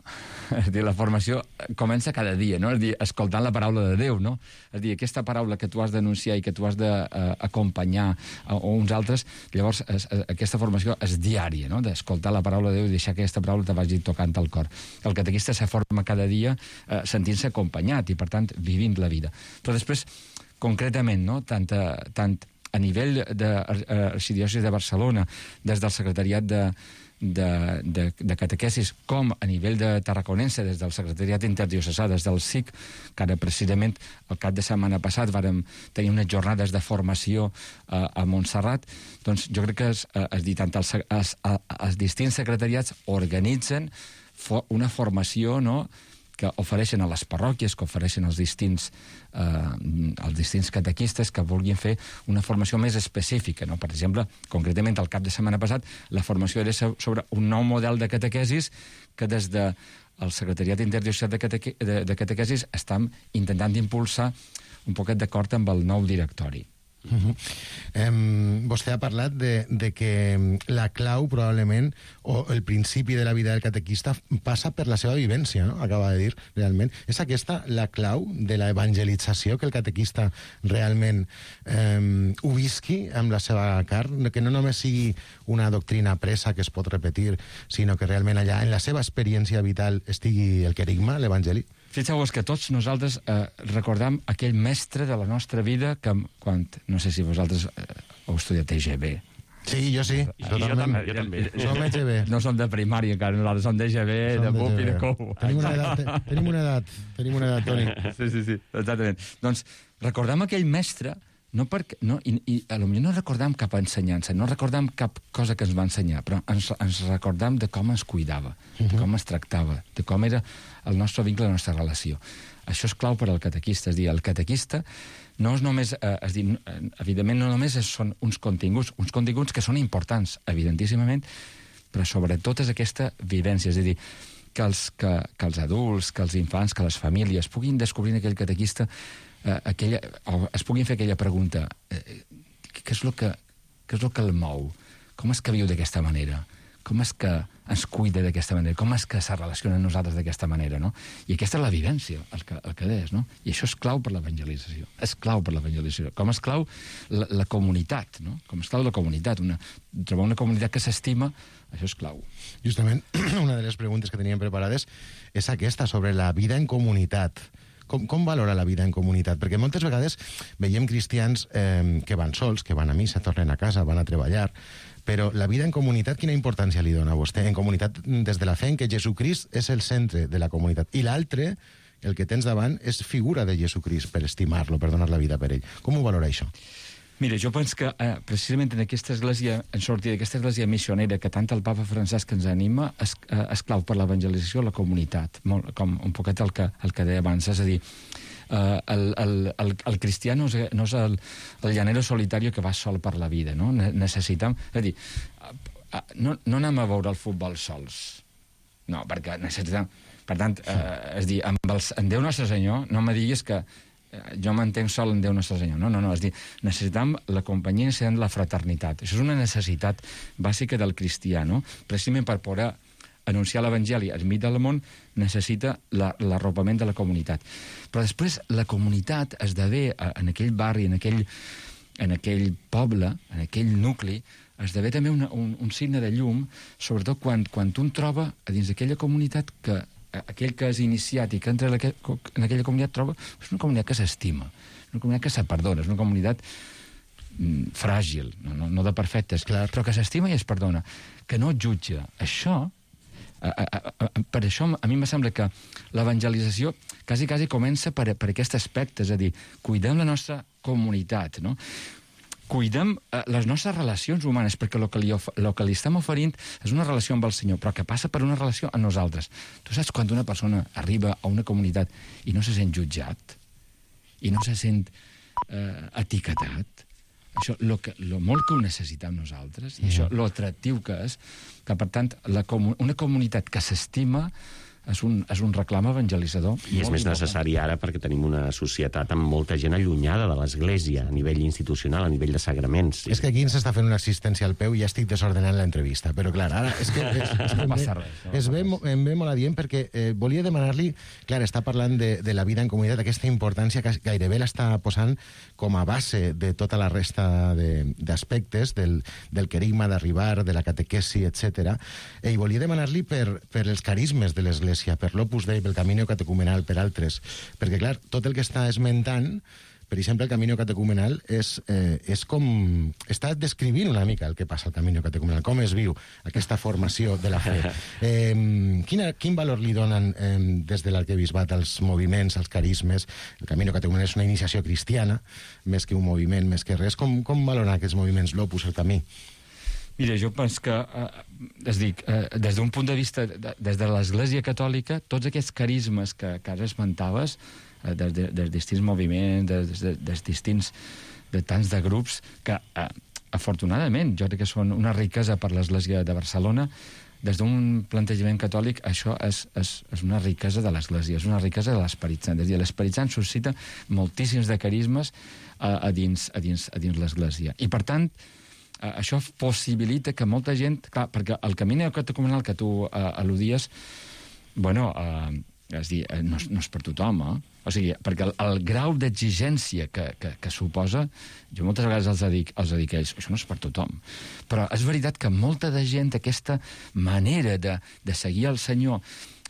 És dir, la formació comença cada dia, no? És dir, escoltant la paraula de Déu, no? És dir, aquesta paraula que tu has d'anunciar i que tu has d'acompanyar a, a uns altres, llavors es, a, aquesta formació és diària, no? D'escoltar la paraula de Déu i deixar que aquesta paraula te vagi tocant al cor. El catequista se forma cada dia eh, sentint-se acompanyat i, per tant, vivint la vida. Però després, concretament, no? Tant, tant a nivell de l'Arxidiòcesi de Barcelona, des del secretariat de, de, de, de catequesis, com a nivell de Tarraconense, des del secretariat interdiocesà, des del S I C, que ara precisament el cap de setmana passat vàrem tenir unes jornades de formació a, a Montserrat, doncs jo crec que es, es dit, tant els, els, els distints secretariats organitzen for, una formació, no?, que ofereixen a les parròquies, que ofereixen als distints, eh, als distints catequistes que vulguin fer una formació més específica, no? Per exemple, concretament el cap de setmana passat, la formació era sobre un nou model de catequesis que des de el Secretariat Interdiocesà de, Cateque de, de Catequesis estem intentant impulsar un poquet d'acord amb el nou directori. Uh-huh. um, vostè ha parlat de, de que la clau probablement o el principi de la vida del catequista passa per la seva vivència, no? Acaba de dir realment. És aquesta la clau de la evangelització, que el catequista realment um, ho visqui amb la seva carn, que no només sigui una doctrina presa que es pot repetir, sinó que realment allà en la seva experiència vital estigui el querigma, l'evangeli? Fixeu-vos que tots nosaltres eh, recordam aquell mestre de la nostra vida que, quan, no sé si vosaltres eh, heu estudiat E G B. Sí, jo sí. I jo també. Jo també. Som E G B. No som de primària encara, nosaltres som d'E G B, de Bup i de Cou. Tenim una edat, tenim una edat, tenim una edat, Toni. Sí, sí, sí, exactament. Doncs recordam aquell mestre, no perquè, no, i, i a lo millor no recordam cap ensenyança, no recordam cap cosa que ens va ensenyar, però ens, ens recordam de com ens cuidava, de com es tractava, de com era el nostre vincle, la nostra relació. Això és clau per al catequista, és dir, el catequista no és només, eh, és dir, evidentment no només són uns continguts, uns continguts que són importants, evidentíssimament, però sobretot és aquesta vivència, és a dir, que els, que, que els adults, que els infants, que les famílies puguin descobrir en aquell catequista eh, aquella, o es puguin fer aquella pregunta, eh, què és el que, què és el que el mou? Com és que viu d'aquesta manera? Com és que ens cuida d'aquesta manera? Com és que se relaciona amb nosaltres d'aquesta manera, no? I aquesta és la vivència, el que, el que és, no? I això és clau per l'evangelització. És clau per l'evangelització. Com és clau la, la comunitat, no? Com és clau la comunitat. Una, trobar una comunitat que s'estima, això és clau. Justament, una de les preguntes que teníem preparades és aquesta, sobre la vida en comunitat. Com, com valora la vida en comunitat? Perquè moltes vegades veiem cristians eh, que van sols, que van a missa, tornen a casa, van a treballar, però la vida en comunitat, quina importància li dona a vostè? En comunitat, des de la fe en que Jesucrist és el centre de la comunitat. I l'altre, el que tens davant, és figura de Jesucrist per estimar-lo, per donar la vida per ell. Com ho valora això? Mira, jo penso que eh, precisament en aquesta església, en sortida d'aquesta església missionera que tant el papa Francesc ens anima, és, eh, és clau per l'evangelització a la comunitat, molt, com un poquet el que, el que deia abans, és a dir, Uh, el, el, el, el cristià no és, no és el, el llanero solitario que va sol per la vida, no? Necessitam... És a dir, uh, uh, no, no anem a veure el futbol sols. No, perquè necessitam... Per tant, uh, és dir, amb els, en Déu Nostre Senyor, no me diguis que uh, jo m'entenc sol en Déu Nostre Senyor. No, no, no, és dir, necessitam la companyia, necessitam la fraternitat. Això és una necessitat bàsica del cristià, no? Precisament per poder anunciar l'Evangeli al mig del món necessita l'arropament de la comunitat. Però després la comunitat esdevé en aquell barri, en aquell, en aquell poble, en aquell nucli, esdevé també una, un, un signe de llum, sobretot quan, quan un troba a dins d'aquella comunitat que aquell que és iniciat i que entra en aquella, en aquella comunitat troba és una comunitat que s'estima, una comunitat que se perdona, és una comunitat mm, fràgil, no, no, no de perfectes, clar, però que s'estima i es perdona, que no jutja. Això A, a, a, per això a mi em sembla que l'evangelització quasi, quasi comença per, per aquest aspecte, és a dir, cuidem la nostra comunitat, no? cuidem eh, les nostres relacions humanes, perquè el que, li of el que li estem oferint és una relació amb el Senyor, però que passa per una relació amb nosaltres. Tu saps quan una persona arriba a una comunitat i no se sent jutjat, i no se sent eh, etiquetat, això, lo que, lo molt que ho necessitem nosaltres, i això, lo atractiu que és, que, per tant, la comu una comunitat que s'estima és un, és un reclam evangelitzador. I és més necessari ara perquè tenim una societat amb molta gent allunyada de l'Església, a nivell institucional, a nivell de sagraments. És que aquí ens està fent una assistència al peu i ja estic desordenant l'entrevista, però clar, ara és que, és, és que no em, passa ve, res, no es ve, passa em ve molt adient perquè eh, volia demanar-li, clar, està parlant de, de la vida en comunitat, aquesta importància que gairebé l'està posant com a base de tota la resta d'aspectes del, del querigma d'arribar, de la catequesi, etcètera. I volia demanar-li per, per els carismes de l'Església, per l'Opus Dei, pel Camino Catecumenal, per altres. Perquè, clar, tot el que està esmentant, per exemple, el Camino Catecumenal, és, eh, és com... està descrivint una mica el que passa al Camino Catecumenal, com es viu aquesta formació de la fe. Eh, quina, quin valor li donen eh, des de l'arquebisbat als moviments, als carismes? El Camino Catecumenal és una iniciació cristiana, més que un moviment, més que res. Com, com valoren aquests moviments, l'Opus, el Camí? Mira, jo penso que, eh, es dic, eh, des d'un punt de vista, de, des de l'Església Catòlica, tots aquests carismes que, que ara esmentaves, eh, des, de, des distints moviments, des, de, des distints, de tants de grups, que, eh, afortunadament, jo crec que són una riquesa per l'Església de Barcelona. Des d'un plantejament catòlic, això és, és, és una riquesa de l'Església, és una riquesa de l'Esperit Sant. És a dir, l'Esperit Sant suscita moltíssims de carismes a, a dins, a dins, a dins l'Església. I, per tant, això possibilita que molta gent... Clar, perquè el camí catecumenal que tu uh, al·ludies, bueno, uh, és dir, no, no és per tothom, eh? O sigui, perquè el, el grau d'exigència que, que, que suposa, jo moltes vegades els dic, els dic a ells, això no és per tothom. Però és veritat que molta de gent, aquesta manera de, de seguir el Senyor,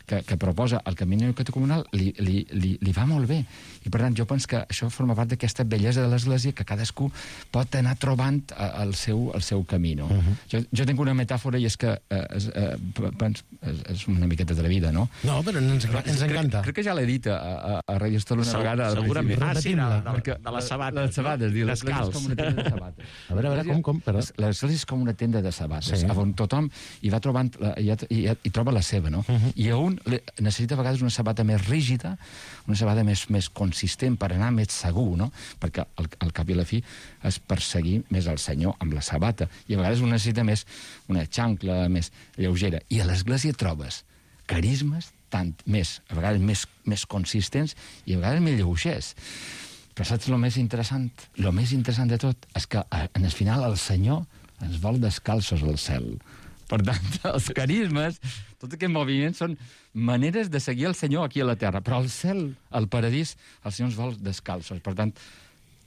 que, que proposa el camí catecumenal, li, li, li, li va molt bé. I, per tant, jo penso que això forma part d'aquesta bellesa de l'Església, que cadascú pot anar trobant el seu, el seu camí. No? Uh -huh. jo, jo tinc una metàfora i és que eh, és, eh, pens, és, és una miqueta de la vida, no? No, però ens, ens encanta. Crec, crec que ja l'he dit a, a, a Radio Estel una vegada. Segurament. Ah, sí, de, de, perquè, de les sabates. De les sabates, no? L'Església és com una tenda de sabates. A veure, a veure, com, com? L'Església és com una tenda de sabates, sí. on tothom hi va trobant, hi, hi, hi troba la seva, no? Uh -huh. I a un necessita a vegades una sabata més rígida, una sabata més, més consistent per anar més segur, no? Perquè al, al cap i a la fi és perseguir més el Senyor amb la sabata. I a vegades un necessita més una xancla més lleugera. I a l'Església trobes carismes tant més, a vegades més, més consistents i a vegades més lleugers. Però saps el més interessant? El més interessant de tot és que en el final el Senyor ens vol descalços al cel. Per tant, els carismes, tot aquest moviment són maneres de seguir el Senyor aquí a la terra. Però al cel, al paradís, el Senyor ens vol descalços. Per tant,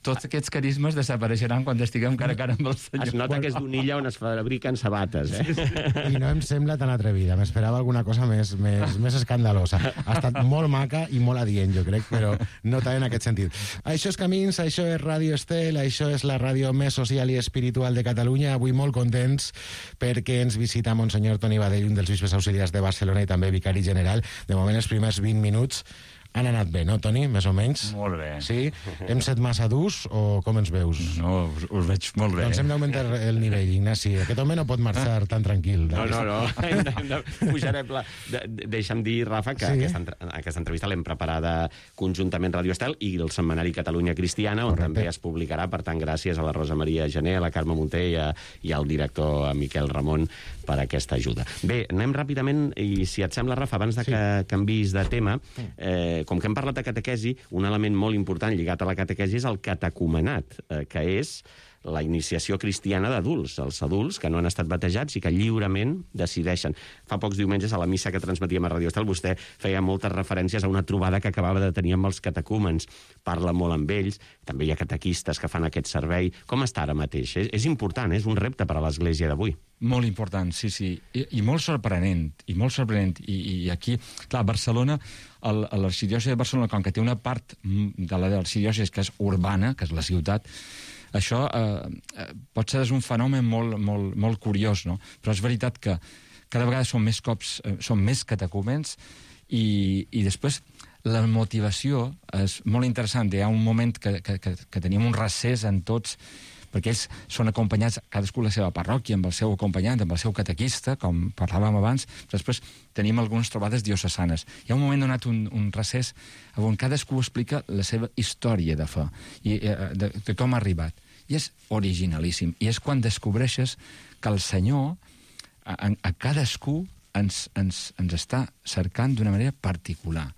tots aquests carismes desapareixeran quan estiguem cara a cara amb el Senyor. Es nota que és d'una illa on es fabriquen sabates, eh? I no em sembla tan atrevida. M'esperava alguna cosa més, més, més escandalosa. Ha estat molt maca i molt adient, jo crec, però no tant en aquest sentit. Això és Camins, això és Ràdio Estel, això és la ràdio més social i espiritual de Catalunya. Avui molt contents perquè ens visita Monsenyor Toni Badell, un dels bisbes auxiliars de Barcelona i també vicari general. De moment, els primers vint minuts han anat bé, no, Toni? Més o menys? Molt bé. Sí? Hem set massa durs o com ens veus? No, us, us veig molt bé. Doncs hem d'augmentar el nivell, Ignasi. Aquest home no pot marxar tan tranquil. No, no, no. Hem de, hem de pujar la... De, de, deixa'm dir, Rafa, que sí. aquesta, aquesta entrevista l'hem preparada conjuntament Radio Estel i el setmanari Catalunya Cristiana, on Correcte. També es publicarà. Per tant, gràcies a la Rosa Maria Gené, a la Carme Munté i, a, i al director Miquel Ramon per aquesta ajuda. Bé, anem ràpidament, i si et sembla, Rafa, abans de sí. que canvis de tema, eh, com que hem parlat de catequesi, un element molt important lligat a la catequesi és el catecumenat, eh, que és la iniciació cristiana d'adults, els adults que no han estat batejats i que lliurement decideixen. Fa pocs diumenges, a la missa que transmetíem a Radio Estel, vostè feia moltes referències a una trobada que acabava de tenir amb els catecúmens. Parla molt amb ells, també hi ha catequistes que fan aquest servei. Com està ara mateix? És, és important, és un repte per a l'Església d'avui. Molt important, sí, sí. I, i molt sorprenent, i molt sorprenent. I, i aquí, clar, Barcelona, l'arxidiòcesi de Barcelona, com que té una part de l'arxidiòcesi que és urbana, que és la ciutat, això eh, pot ser un fenomen molt, molt, molt curiós, no? Però és veritat que cada vegada són més cops, eh, són més catecúmens i, i després la motivació és molt interessant. Hi ha un moment que, que, que, que teníem un recés en tots perquè ells són acompanyats, cadascú a la seva parròquia, amb el seu acompanyant, amb el seu catequista, com parlàvem abans. Després tenim algunes trobades diocesanes. Hi ha un moment donat, un, un recés, on cadascú explica la seva història de fe, i de, de com ha arribat. I és originalíssim. I és quan descobreixes que el Senyor a, a cadascú ens, ens, ens està cercant d'una manera particular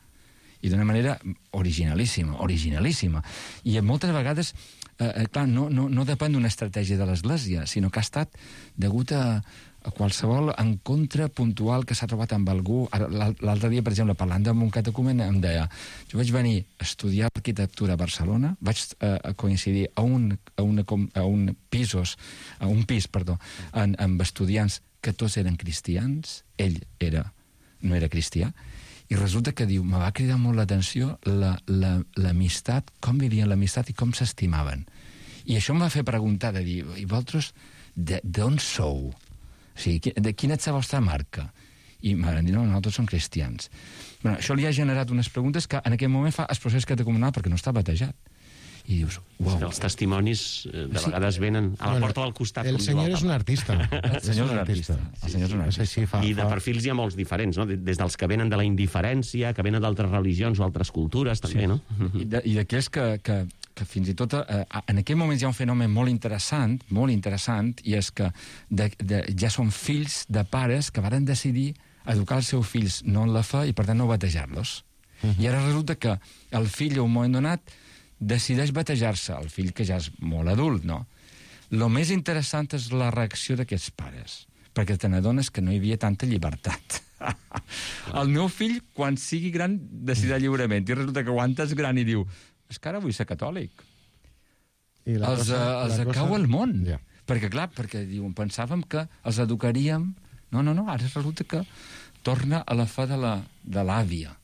i d'una manera originalíssima, originalíssima. I moltes vegades, eh, clar, no, no, no depèn d'una estratègia de l'Església, sinó que ha estat degut a, a qualsevol encontre puntual que s'ha trobat amb algú. L'altre dia, per exemple, parlant amb un catecumen, em deia, jo vaig venir a estudiar arquitectura a Barcelona, vaig eh, coincidir a un, a, una, a un pisos, a un pis, perdó, en, amb estudiants que tots eren cristians, ell era, no era cristià, i resulta que diu, me va cridar molt l'atenció l'amistat, la, la, com vivien l'amistat i com s'estimaven. I això em va fer preguntar, de dir, i vosaltres d'on sou? O sigui, de quina és la vostra marca? I m'han dit, no, nosaltres som cristians. Bueno, això li ha generat unes preguntes que en aquell moment fa el procés catecumenal perquè no està batejat. I dius, uau. Els testimonis de vegades venen a la bueno, porta del costat. El senyor és un artista. El senyor és un artista. El senyor és un artista. Sí, fa, I de fa... perfils hi ha molts diferents, no? Des dels que venen de la indiferència, que venen d'altres religions o altres cultures, també, sí. No? I, de, i d'aquells que, que, que fins i tot eh, en aquell moment hi ha un fenomen molt interessant, molt interessant, i és que de, de, ja són fills de pares que varen decidir educar els seus fills no en la fe i per tant no batejar-los. Uh-huh. I ara resulta que el fill a un moment donat decideix batejar-se, el fill que ja és molt adult, no? Lo més interessant és la reacció d'aquests pares, perquè te n'adones que no hi havia tanta llibertat. El meu fill, quan sigui gran, decidirà lliurement, i resulta que quan és gran i diu, és que ara vull ser catòlic. I la els cosa, els la acau cosa... el món. Ja. Perquè, clar, perquè diuen, pensàvem que els educaríem... No, no, no, ara resulta que torna a la fe de la, de l'àvia.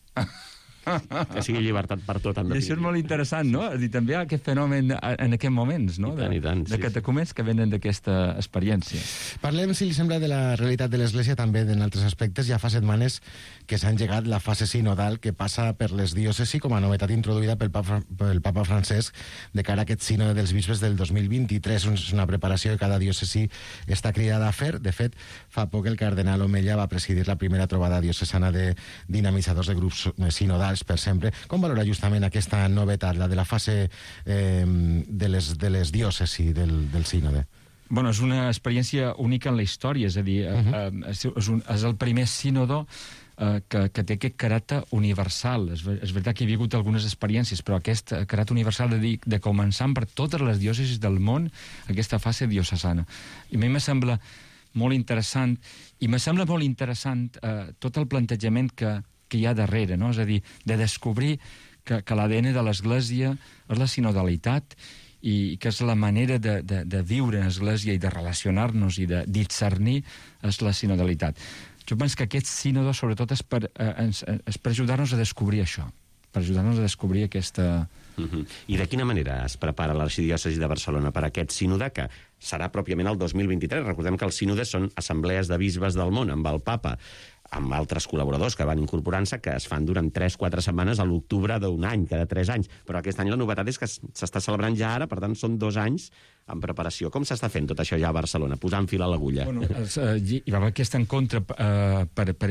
Que sigui llibertat per tot. I això és molt interessant, no? És dir, també hi ha aquest fenomen en aquests moments, no? I tant, i tant, de, sí, de catecumens que venen d'aquesta experiència. Parlem, si li sembla, de la realitat de l'Església també en altres aspectes. Ja fa setmanes que s'ha engegat la fase sinodal que passa per les diòcesis com a novetat introduïda pel Papa, pel Papa Francesc de cara a aquest sínode dels bisbes del dos mil vint-i-tres. És una preparació que cada diòcesi està cridada a fer. De fet, fa poc el cardenal Omella va presidir la primera trobada diocesana de dinamitzadors de grups sinodals per sempre. Com valora justament aquesta novetat, la de la fase eh, de, les, de les diòcesis del, del sínode? Bueno, és una experiència única en la història, és a dir, uh-huh. eh, és, és, un, és el primer sínodo eh, que, que té aquest caràcter universal. És, és veritat que hi ha hagut algunes experiències, però aquest caràcter universal de, dir, de començar per totes les diòcesis del món aquesta fase diocesana. I a mi me sembla molt interessant, i me sembla molt interessant eh, tot el plantejament que que hi ha darrere, no? És a dir, de descobrir que, que l'A D N de l'Església és la sinodalitat i que és la manera de, de, de viure en l'Església i de relacionar-nos i de discernir és la sinodalitat. Jo penso que aquest sínodo, sobretot, és per, eh, és per ajudar-nos a descobrir això, per ajudar-nos a descobrir aquesta... Uh-huh. I de quina manera es prepara l'Arxidiòcesi de Barcelona per a aquest sínode, que serà pròpiament el dos mil vint-i-tres? Recordem que els sínodes són assemblees de bisbes del món, amb el Papa, amb altres col·laboradors que van incorporant-se, que es fan durant tres o quatre setmanes a l'octubre d'un any, cada tres anys. Però aquest any la novetat és que s'està celebrant ja ara, per tant són dos anys en preparació. Com s'està fent tot això ja a Barcelona, posant fil a l'agulla? Bueno, els, eh, hi va haver aquest encontre eh, per, per,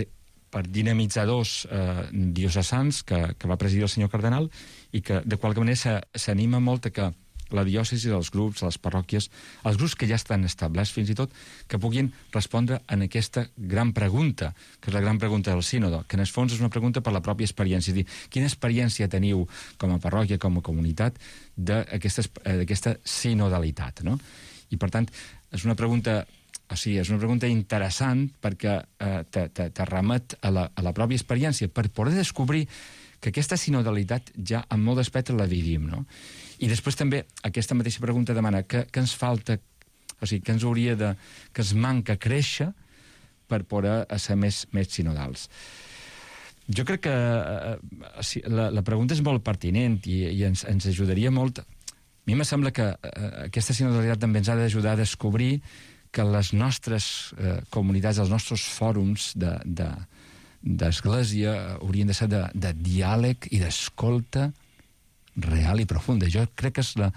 per dinamitzadors eh, diocesans que, que va presidir el senyor cardenal i que de qualque manera s'anima molt a que la diòcesi, els grups, les parròquies, els grups que ja estan establerts fins i tot, que puguin respondre en aquesta gran pregunta, que és la gran pregunta del sínodo, que en el fons és una pregunta per la pròpia experiència. És dir, quina experiència teniu com a parròquia, com a comunitat, d'aquesta sinodalitat, no? I, per tant, és una pregunta... O sigui, és una pregunta interessant perquè eh, te, te, te remet a la, a la pròpia experiència per poder descobrir que aquesta sinodalitat ja en molt d'aspectes la vivim, no? I després també aquesta mateixa pregunta demana què ens falta, o sigui, què ens hauria de... què ens manca créixer per poder ser més, més sinodals. Jo crec que eh, la, la pregunta és molt pertinent i, i ens, ens ajudaria molt. A mi me sembla que eh, aquesta sinodalitat també ens ha d'ajudar a descobrir que les nostres eh, comunitats, els nostres fòrums de, de, d'església haurien de ser de, de diàleg i d'escolta real i profunda. Jo crec que és la,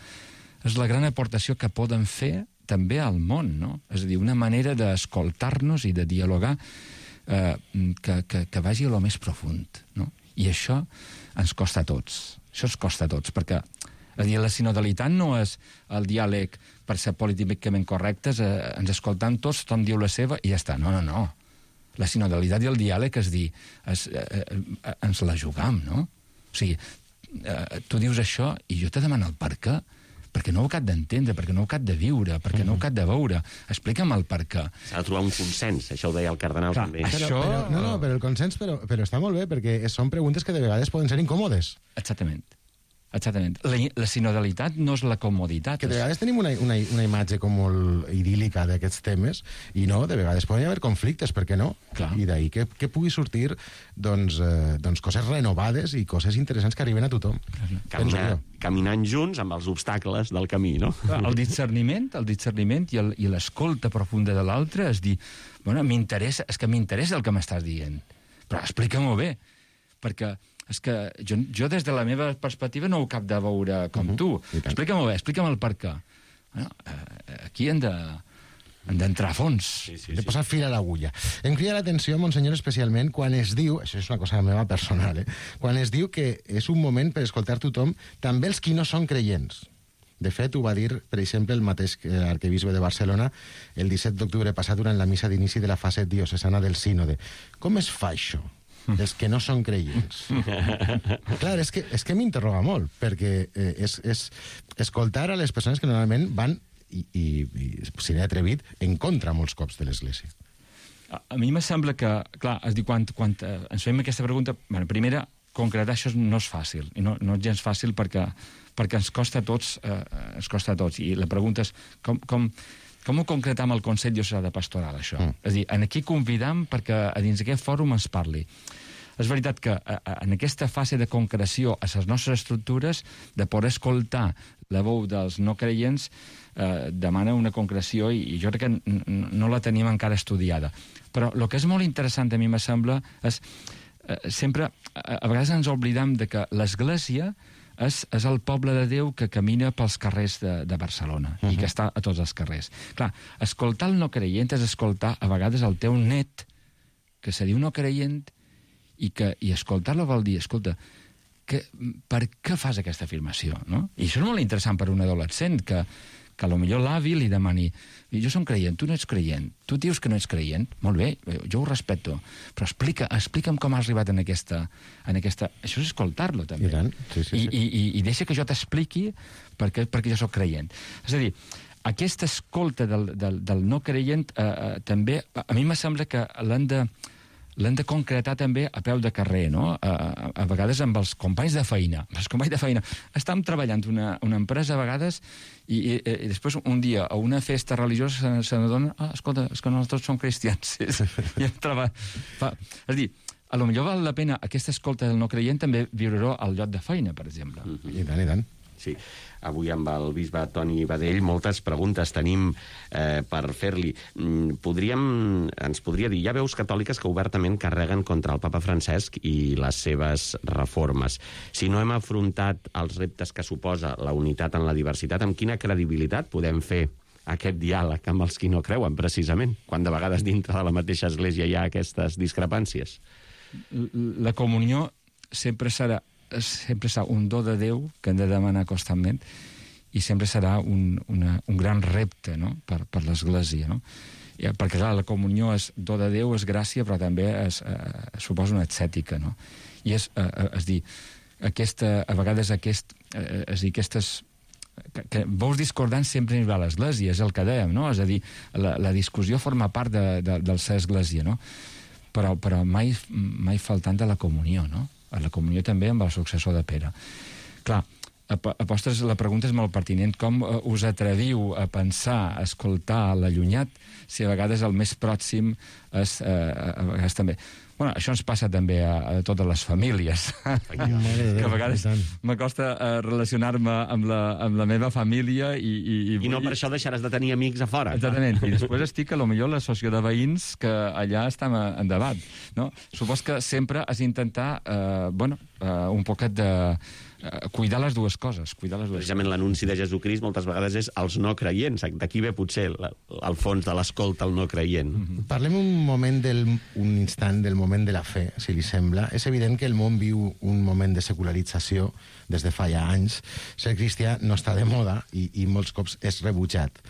és la gran aportació que poden fer també al món, no? És a dir, una manera d'escoltar-nos i de dialogar eh, que, que, que vagi a lo més profund, no? I això ens costa a tots. Això ens costa a tots, perquè és a dir, la sinodalitat no és el diàleg per ser políticament correctes, eh, ens escoltam tots, tothom diu la seva i ja està. No, no, no. La sinodalitat i el diàleg és dir, es, eh, eh, ens la jugam, no? O sigui, eh, tu dius això i jo te demano el per què. Perquè no ho cap d'entendre, perquè no ho cap de viure, perquè no ho cap de veure. Explica'm el per què. S'ha de trobar un consens, això ho deia el cardenal Clar, també. això- Però, però, no, no, però el consens però, però està molt bé, perquè són preguntes que de vegades poden ser incòmodes. Exactament. Exactament. La, la sinodalitat no és la comoditat. Que de vegades tenim una, una, una imatge com molt idíl·lica d'aquests temes, i no, de vegades poden haver conflictes, per què no? Clar. I d'ahir que, que pugui sortir doncs, eh, doncs coses renovades i coses interessants que arriben a tothom. Penso Caminar, jo. caminant junts amb els obstacles del camí, no? Clar, el discerniment, el discerniment i el- i l'escolta profunda de l'altre és dir, bueno, m'interessa, és que m'interessa el que m'estàs dient, però explica-m'ho bé, perquè és que jo, jo des de la meva perspectiva no ho cap de veure com tu. I tant. Explica-m'ho bé, explica'm el per què. Bueno, eh, aquí hem de hem d'entrar a fons. Sí, sí, de sí. posar fil a l'agulla. Em crida l'atenció, Monsenyor, especialment quan es diu, això és una cosa meva personal, eh? quan es diu que és un moment per escoltar tothom, també els qui no són creients. De fet, ho va dir, per exemple, el mateix arquebisbe de Barcelona el disset d'octubre passat durant la missa d'inici de la fase diocesana del sínode. Com es fa això? Els que no són creients. Clar, és que, és que m'interroga molt, perquè eh, és, és escoltar a les persones que normalment van, i, i, i si n'he atrevit, en contra molts cops de l'Església. A, a mi me sembla que, clar, és dir, quan, quan eh, ens fem aquesta pregunta, bueno, primera, concretar això no és fàcil, i no, no és gens fàcil perquè, perquè ens costa a tots, eh, ens costa a tots, i la pregunta és com, com, com ho concretam al Consell Diocesà de Pastoral, això? Mm. És a dir, en aquí convidam perquè a dins d'aquest fòrum es parli. És veritat que a, a, en aquesta fase de concreció a les nostres estructures, de poder escoltar la veu dels no creients, eh, demana una concreció i, i jo crec que n -n no la tenim encara estudiada. Però el que és molt interessant, a mi me sembla, és eh, sempre, a, a vegades ens oblidam de que l'Església és, és el poble de Déu que camina pels carrers de, de Barcelona, uh-huh. i que està a tots els carrers. Clar, escoltar el no creient és escoltar a vegades el teu net, que se diu no creient, i, que, i escoltar-lo vol dir, escolta, que, per què fas aquesta afirmació? No? I això és molt interessant per un adolescent, que, que potser l'avi li demani, jo som creient, tu no ets creient, tu dius que no ets creient, molt bé, jo ho respeto, però explica, explica'm com has arribat en aquesta... En aquesta... Això és escoltar-lo, també. I tant, sí, sí, I, sí. i, i, i deixa que jo t'expliqui perquè, perquè jo sóc creient. És a dir, aquesta escolta del, del, del no creient eh, eh, també, a mi me sembla que l'han de... l'hem de concretar també a peu de carrer, no? A, a, a vegades amb els companys de feina. Els companys de feina. Estàvem treballant una, una empresa a vegades i, i, i després un dia a una festa religiosa se, se n'adona, ah, escolta, és que nosaltres som cristians. I treba... Fa... És a dir, a lo millor val la pena aquesta escolta del no creient també viure-ho al lloc de feina, per exemple. Mm-hmm. I tant, i tant. Sí, avui amb el bisbe Toni Badell moltes preguntes tenim eh, per fer-li. Mm, Podríem, ens podria dir, hi ha veus catòliques que obertament carreguen contra el papa Francesc i les seves reformes. Si no hem afrontat els reptes que suposa la unitat en la diversitat, amb quina credibilitat podem fer aquest diàleg amb els qui no creuen, precisament, quan de vegades dintre de la mateixa església hi ha aquestes discrepàncies? La comunió sempre serà sempre serà un do de Déu que hem de demanar constantment i sempre serà un, una, un gran repte, no? per, per l'Església. No? I, perquè, clar, la comunió és do de Déu, és gràcia, però també es, eh, suposa una ascètica. No? I és, eh, és dir, aquesta, a vegades aquest, eh, és dir, aquestes que, que veus discordants sempre hi va a l'Església, és el que dèiem, no? És a dir, la, la discussió forma part de, de, del ser Església, no? Però, però mai, mai faltant de la comunió, no? A la comunió també amb el successor de Pere. Clar, a, a postres la pregunta és molt pertinent. Com uh, us atreviu a pensar, a escoltar l'allunyat, si a vegades el més pròxim és, uh, a vegades també... Bueno, això ens passa també a, a totes les famílies. Que a vegades m'acosta uh, relacionar-me amb, la, amb la meva família i... I, i, I no per això deixaràs de tenir amics a fora. Exactament. I després estic, a lo millor, l'associació de veïns que allà estem en debat. No? Supos que sempre has d'intentar, eh, bueno, eh, un poquet de eh, cuidar les dues coses, cuidar les dues Precisament l'anunci de Jesucrist moltes vegades és als no creients. D'aquí ve potser la, al fons de l'escolta al no creient. Mm-hmm. Parlem un moment del, un instant del moment de la fe, si li sembla. És evident que el món viu un moment de secularització des de fa ja anys. Ser cristià no està de moda i, i molts cops és rebutjat.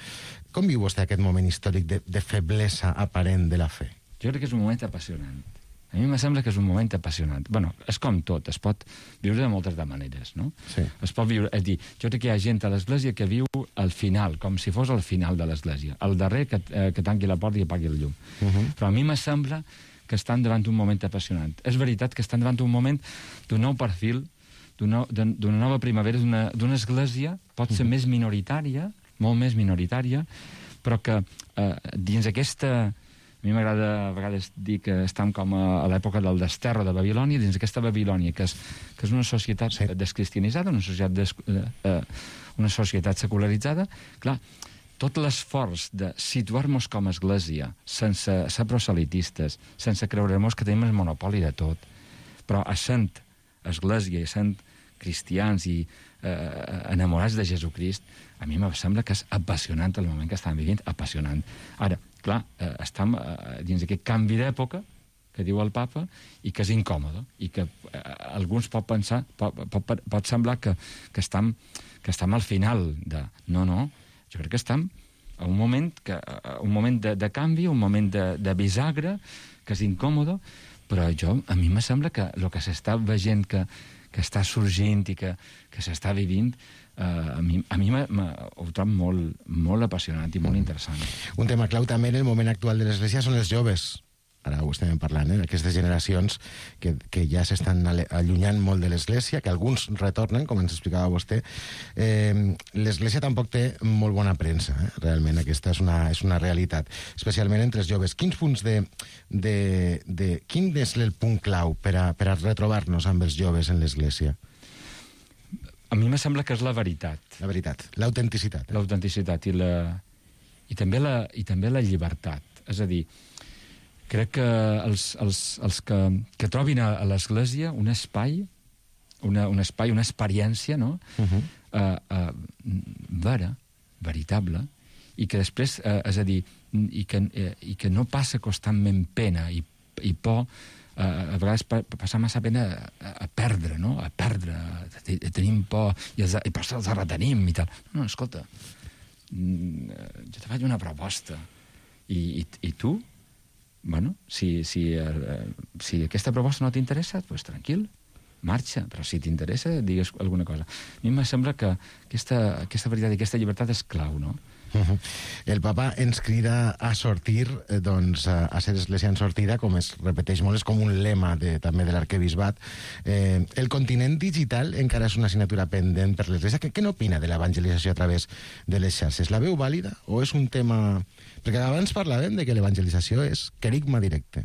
Com viu vostè aquest moment històric de, de feblesa aparent de la fe? Jo crec que és un moment apassionant. A mi em sembla que és un moment apassionant. Bueno, és com tot, es pot viure de moltes de maneres, no? Sí. Es pot viure, és dir, jo crec que hi ha gent a l'Església que viu al final, com si fos el final de l'Església. El darrer que, eh, que tanqui la porta i apagui el llum. Uh -huh. Però a mi em sembla que estan davant un moment apassionant. És veritat que estan davant un moment d'un nou perfil, d'una nova primavera, d'una església, pot ser uh -huh. més minoritària, molt més minoritària, però que eh, dins aquesta... A mi m'agrada a vegades dir que estem com a, a l'època del desterro de Babilònia, dins aquesta Babilònia, que és, que és una societat sí. descristianitzada, una societat, des, eh, una societat secularitzada. Clar, tot l'esforç de situar-nos com a església, sense ser proselitistes, sense creure-nos que tenim el monopoli de tot, però essent església i essent cristians i eh, enamorats de Jesucrist, a mi em sembla que és apassionant el moment que estem vivint, apassionant. Ara, clar, eh, estem eh, dins d'aquest canvi d'època que diu el papa i que és incòmode i que eh, alguns pot pensar, pot, pot, pot semblar que, que, estem, que estem al final de... No, no, jo crec que estem a un moment, que, a un moment de, de canvi, un moment de, de bisagre, que és incòmode, però jo, a mi me sembla que el que s'està veient que, que està sorgint i que, que s'està vivint, Uh, a mi, a mi ho trobo molt, molt apassionant i molt interessant. Un tema clau també en el moment actual de l'Església són els joves. Ara ho estem parlant, eh? Aquestes generacions que, que ja s'estan allunyant molt de l'Església, que alguns retornen, com ens explicava vostè. Eh, L'Església tampoc té molt bona premsa, eh? Realment, aquesta és una, és una realitat, especialment entre els joves. Quins punts de... de, de quin és el punt clau per a, per a retrobar-nos amb els joves en l'Església? A mi me sembla que és la veritat. La veritat, l'autenticitat. Eh? L'autenticitat i, la, i, també la, i també la llibertat. És a dir, crec que els, els, els que, que trobin a, a l'Església un espai, una, un espai, una experiència, no? Uh-huh. uh, uh, vera, veritable, i que després, uh, és a dir, i que, uh, i que no passa constantment pena i, i por. Uh, a vegades passa massa pena a, a perdre, no? A perdre, a, a tenim por, i, els, i per això els retenim i tal. No, no, escolta, jo te faig una proposta, i, i, i tu, bueno, si, si, uh, si aquesta proposta no t'interessa, doncs pues, tranquil, marxa, però si t'interessa, digues alguna cosa. A mi em sembla que aquesta, aquesta veritat i aquesta llibertat és clau, no? Uh-huh. El papa ens crida a sortir, eh, doncs, a, a ser església en sortida, com es repeteix molt, és com un lema de, també de l'arquebisbat. Eh, el continent digital encara és una assignatura pendent per l'església. Què, què n'opina de l'evangelització a través de les xarxes? La veu vàlida o és un tema... Perquè abans parlàvem de que l'evangelització és querigma directe.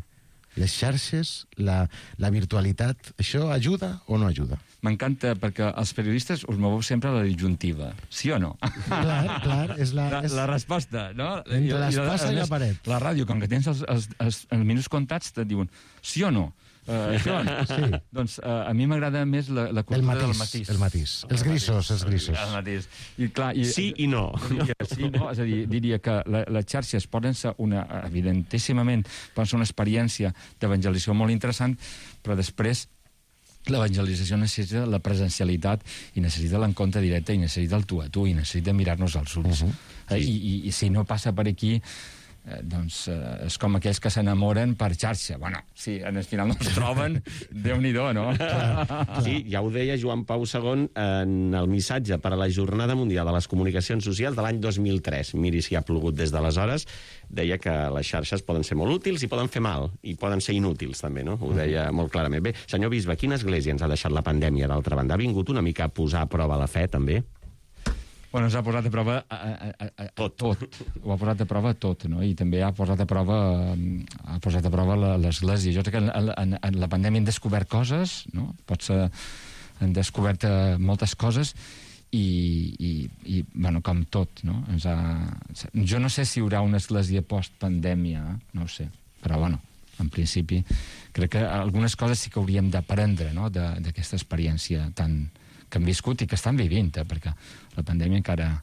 Les xarxes, la, la virtualitat, això ajuda o no ajuda? M'encanta, perquè els periodistes us moveu sempre a la disjuntiva. Sí o no? Clar, clar, és la... La, és... la resposta, no? Entre l'espasa i la paret. La ràdio, com que tens els, els, els, els minuts comptats, te diuen sí o no. Uh, Joan, sí. Doncs uh, a mi m'agrada més la, la cultura del matís. El matís, els grisos, els grisos. El matís. I, clar, i, sí i no. Diria, sí, no. És a dir, diria que la, les xarxes poden ser una, evidentíssimament, poden ser una experiència d'evangelització molt interessant, però després l'evangelització necessita la presencialitat i necessita l'encontre directe i necessita el tu a tu i necessita mirar-nos als ulls. Uh -huh. I, i, I si no passa per aquí, eh, doncs eh, és com aquells que s'enamoren per xarxa. Bueno, si en el final no es troben, Déu-n'hi-do, no? Sí, ja ho deia Joan Pau segon en el missatge per a la Jornada Mundial de les Comunicacions Socials de l'any dos mil tres. Miri si ha plogut des d'aleshores. Deia que les xarxes poden ser molt útils i poden fer mal, i poden ser inútils també, no? Ho deia molt clarament. Bé, senyor bisbe, quina església ens ha deixat la pandèmia, d'altra banda? Ha vingut una mica a posar a prova la fe, també? Bueno, ens ha posat a prova a, a, a, a, tot. tot. Ho ha posat a prova tot, no? I també ha posat a prova ha posat a prova l'Església. Jo crec que en, en, en la pandèmia hem descobert coses, no? Potser hem descobert moltes coses i, i, i bueno, com tot, no? Ens ha... Jo no sé si hi haurà una església post-pandèmia, no ho sé, però bueno, en principi crec que algunes coses sí que hauríem d'aprendre, no?, d'aquesta experiència tan, que han viscut i que estan vivint, eh, perquè la pandèmia encara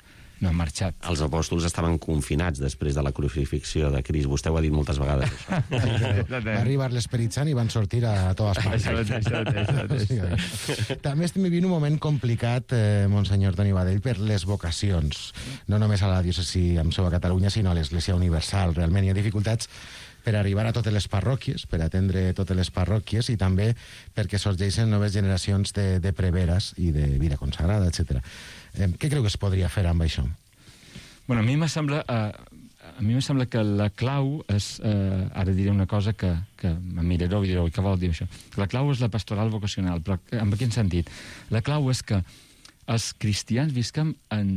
no ha marxat. Els apòstols estaven confinats després de la crucifixió de Crist. Vostè ho ha dit moltes vegades, això. Va arribar l'Esperit Sant i van sortir a totes parts. Això, això, això, això, això. També estem vivint un moment complicat, eh, Monsenyor Toni Badell, per les vocacions. No només a la diòcesi amb seu a Catalunya, sinó a l'Església Universal. Realment hi ha dificultats per arribar a totes les parròquies, per atendre totes les parròquies, i també perquè sorgeixen noves generacions de, de preveres i de vida consagrada, etcètera. Eh, què creu que es podria fer amb això? Bueno, a mi me sembla, eh, a mi me sembla que la clau és, eh, ara diré una cosa que, que em mirareu i direu, què vol dir això? La clau és la pastoral vocacional, però en quin sentit? La clau és que els cristians visquem en,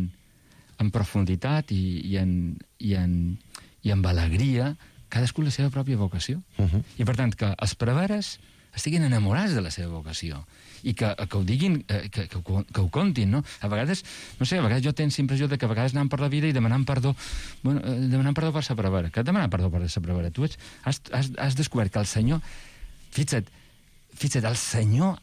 en profunditat i, i, en, i, en, i amb alegria cadascú la seva pròpia vocació. Uh -huh. I, per tant, que els preveres estiguin enamorats de la seva vocació i que, que ho diguin, que, que, que, que ho contin, no? A vegades, no sé, a vegades jo tens impressió de que a vegades anant per la vida i demanant perdó, bueno, demanant perdó per sa prevera. Que demanar perdó per sa prevera? Tu ets, has, has, has descobert que el Senyor, fixa't, fixa't, el Senyor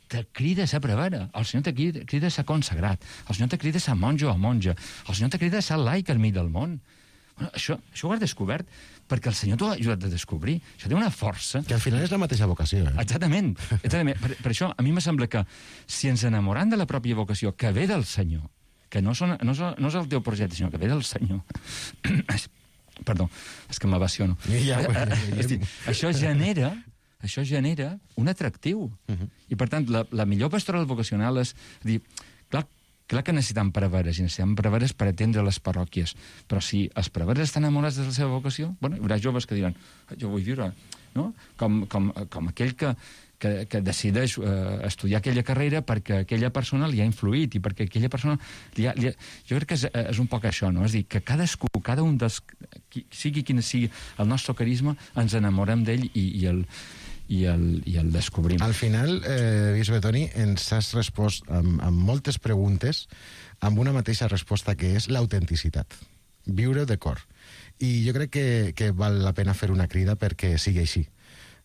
te crida a ser prevera, el Senyor te crida, crida a ser consagrat, el Senyor te crida a ser monjo o monja, el Senyor te crida a ser laic al mig del món. Bueno, això, això ho has descobert perquè el Senyor t'ho ha ajudat a descobrir. Això té una força... Que al final és la mateixa vocació, eh? Exactament. Exactament. Per, per això, a mi me sembla que si ens enamoram de la pròpia vocació que ve del Senyor, que no, són, no, són, no és el teu projecte, sinó que ve del Senyor... Perdó, és que m'abaciono. Ja, ja, ja, ja. dir, això genera... Això genera un atractiu. Uh -huh. I, per tant, la, la millor pastoral vocacional és dir... Clar, Clar que necessitem preveres, i necessitem preveres per atendre les parròquies, però si els preveres estan enamorats de la seva vocació, bueno, hi haurà joves que diran, jo vull viure, no? Com, com, com aquell que, que, que decideix eh, estudiar aquella carrera perquè aquella persona li ha influït i perquè aquella persona... Li ha, li ha... Jo crec que és, és un poc això, no? És dir, que cadascú, cada un dels... sigui quin sigui el nostre carisma, ens enamorem d'ell i, i el... I el, i el descobrim. Al final, eh, bisbe Toni, ens has respost amb, amb moltes preguntes amb una mateixa resposta, que és l'autenticitat. Viure de cor. I jo crec que, que val la pena fer una crida perquè sigui així.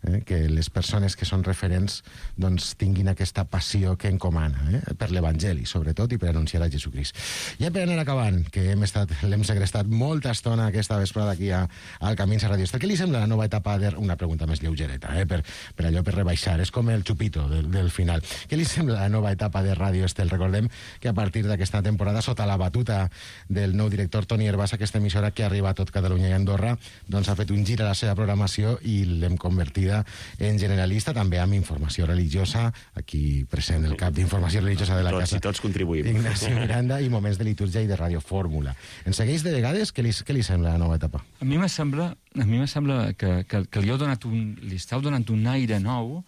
Eh? Que les persones que són referents doncs, tinguin aquesta passió que encomana, eh? Per l'Evangeli, sobretot, i per anunciar a Jesucrist. Ja per anar acabant, que hem estat, l'hem segrestat molta estona aquesta vesprada aquí a, al Camins a Radio Estel. Què li sembla la nova etapa de... Una pregunta més lleugereta, eh? per, per allò, per rebaixar. És com el xupito del, del final. Què li sembla la nova etapa de Radio Estel? Recordem que a partir d'aquesta temporada, sota la batuta del nou director Toni Hervás, aquesta emissora que arriba a tot Catalunya i Andorra, doncs ha fet un gir a la seva programació i l'hem convertit en generalista, també amb informació religiosa, aquí present el cap d'informació religiosa de la tots, casa. I tots contribuïm. Ignacio Miranda, i moments de litúrgia i de radiofórmula. Ens segueix de vegades? Què li, què li sembla la nova etapa? A mi me sembla, a mi me sembla que, que, que li, heu donat un, li esteu donant un aire nou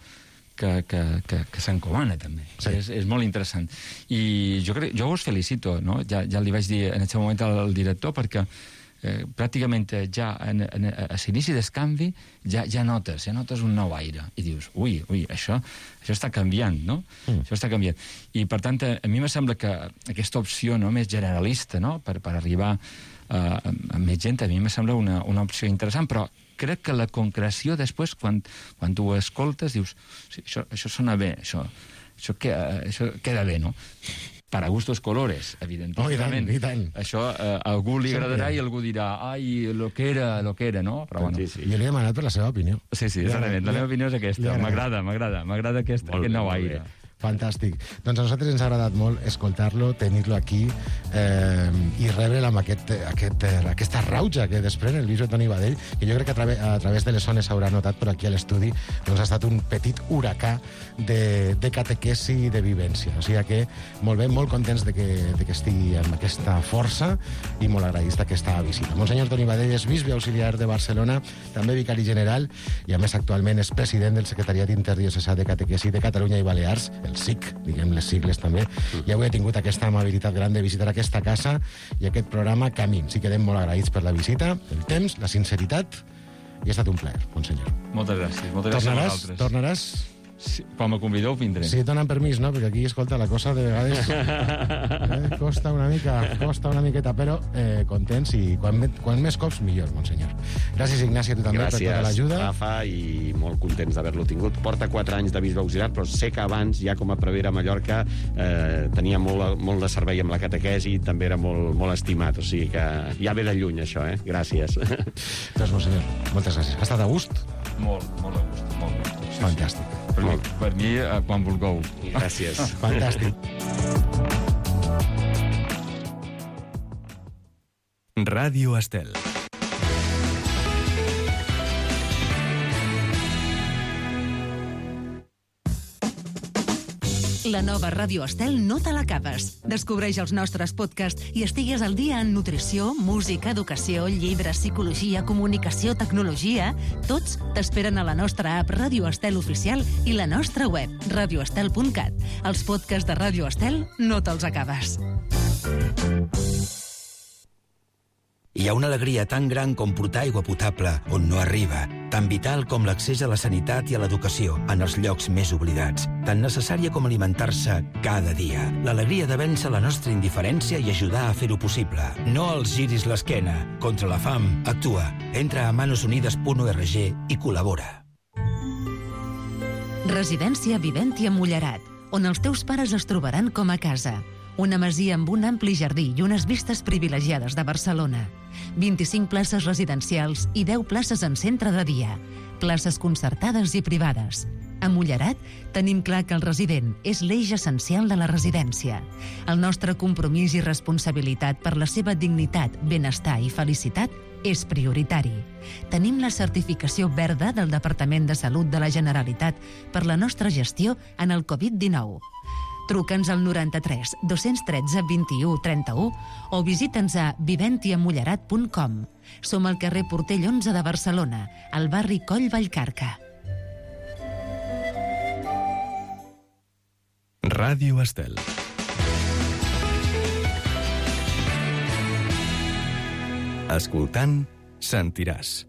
que, que, que, que s'encomana, també. Sí. És, és molt interessant. I jo, crec, jo us felicito, no? Ja, ja li vaig dir en aquest moment al director, perquè Eh, pràcticament ja en, en, a l'inici del canvi ja, ja notes, ja notes un nou aire i dius, ui, ui, això, això està canviant, no? Mm. Això està canviant. I per tant, a, a mi me sembla que aquesta opció, no, més generalista, no, per, per arribar a, a, a més gent, a mi me sembla una, una opció interessant, però crec que la concreció després, quan, quan tu ho escoltes, dius, sí, això, això sona bé, això, això, queda, això queda bé, no? Para gustos colores, evidentment. Oh, i tant, i tant. Això eh, a algú li agradarà i algú dirà, ai, lo que era, lo que era, no? Però bueno. Sí, sí. Jo li he demanat per la seva opinió. Sí, sí, exactament. La meva opinió és aquesta. M'agrada, m'agrada. M'agrada aquest, aquest nou aire. Fantàstic. Doncs a nosaltres ens ha agradat molt escoltar-lo, tenir-lo aquí eh, i rebre'l amb aquest, aquest, aquesta rauja que desprèn el bisbe Toni Badell, que jo crec que a, través, a través de les zones s'haurà notat, però aquí a l'estudi doncs ha estat un petit huracà de, de catequesi i de vivència. O sigui que molt bé, molt contents de que, de que estigui amb aquesta força i molt agraïts d'aquesta visita. Monsenyor Toni Badell és bisbe auxiliar de Barcelona, també vicari general, i a més actualment és president del Secretariat Interdiocesà de Catequesi de Catalunya i Balears, el S I C, diguem les sigles també, i avui he tingut aquesta amabilitat gran de visitar aquesta casa i aquest programa Camins. I quedem molt agraïts per la visita, el temps, la sinceritat, i ha estat un plaer, monsenyor. Moltes gràcies. Moltes gràcies tornaràs, a vosaltres. tornaràs? Sí, quan me convideu, vindré. Sí, donen permís, no? Perquè aquí, escolta, la cosa de vegades eh, costa una mica, costa una miqueta, però eh, contents i quan, quan més cops, millor, monsenyor. Gràcies, Ignasi, a tu també, Gràcies, per tota l'ajuda. Rafa, i molt contents d'haver-lo tingut. Porta quatre anys de bisbe auxiliar, però sé que abans, ja com a prevere a Mallorca, eh, tenia molt, molt de servei amb la catequesi i també era molt, molt estimat. O sigui que ja ve de lluny, això, eh? Gràcies. Doncs, monsenyor, moltes gràcies. Ha estat a gust? Molt, molt a gust, molt a gust. Sí, Fantàstic. Sí. Per, mi, per mi, eh, quan vulgueu. Gràcies. Fantàstic. Ràdio Estel. La nova Ràdio Estel no te l'acabes. Descobreix els nostres podcasts i estigues al dia en nutrició, música, educació, llibres, psicologia, comunicació, tecnologia. Tots t'esperen a la nostra app Ràdio Estel Oficial i la nostra web, radio estel punt cat. Els podcasts de Ràdio Estel no te'ls acabes. Hi ha una alegria tan gran com portar aigua potable on no arriba, tan vital com l'accés a la sanitat i a l'educació en els llocs més oblidats, tan necessària com alimentar-se cada dia. L'alegria de vèncer la nostra indiferència i ajudar a fer-ho possible. No els giris l'esquena. Contra la fam, actua. Entra a manosunides punt org i col·labora. Residència Viventia Mullerat, on els teus pares es trobaran com a casa. Una masia amb un ampli jardí i unes vistes privilegiades de Barcelona. vint-i-cinc places residencials i deu places en centre de dia. Places concertades i privades. A Mullerat tenim clar que el resident és l'eix essencial de la residència. El nostre compromís i responsabilitat per la seva dignitat, benestar i felicitat és prioritari. Tenim la certificació verda del Departament de Salut de la Generalitat per la nostra gestió en el covid dinou. Truca'ns al noranta-tres dos-cents tretze vint-i-u trenta-u o visita'ns a viventiamullerat punt com. Som al carrer Portell onze de Barcelona, al barri Coll Vallcarca. Ràdio Estel. Escoltant, sentiràs.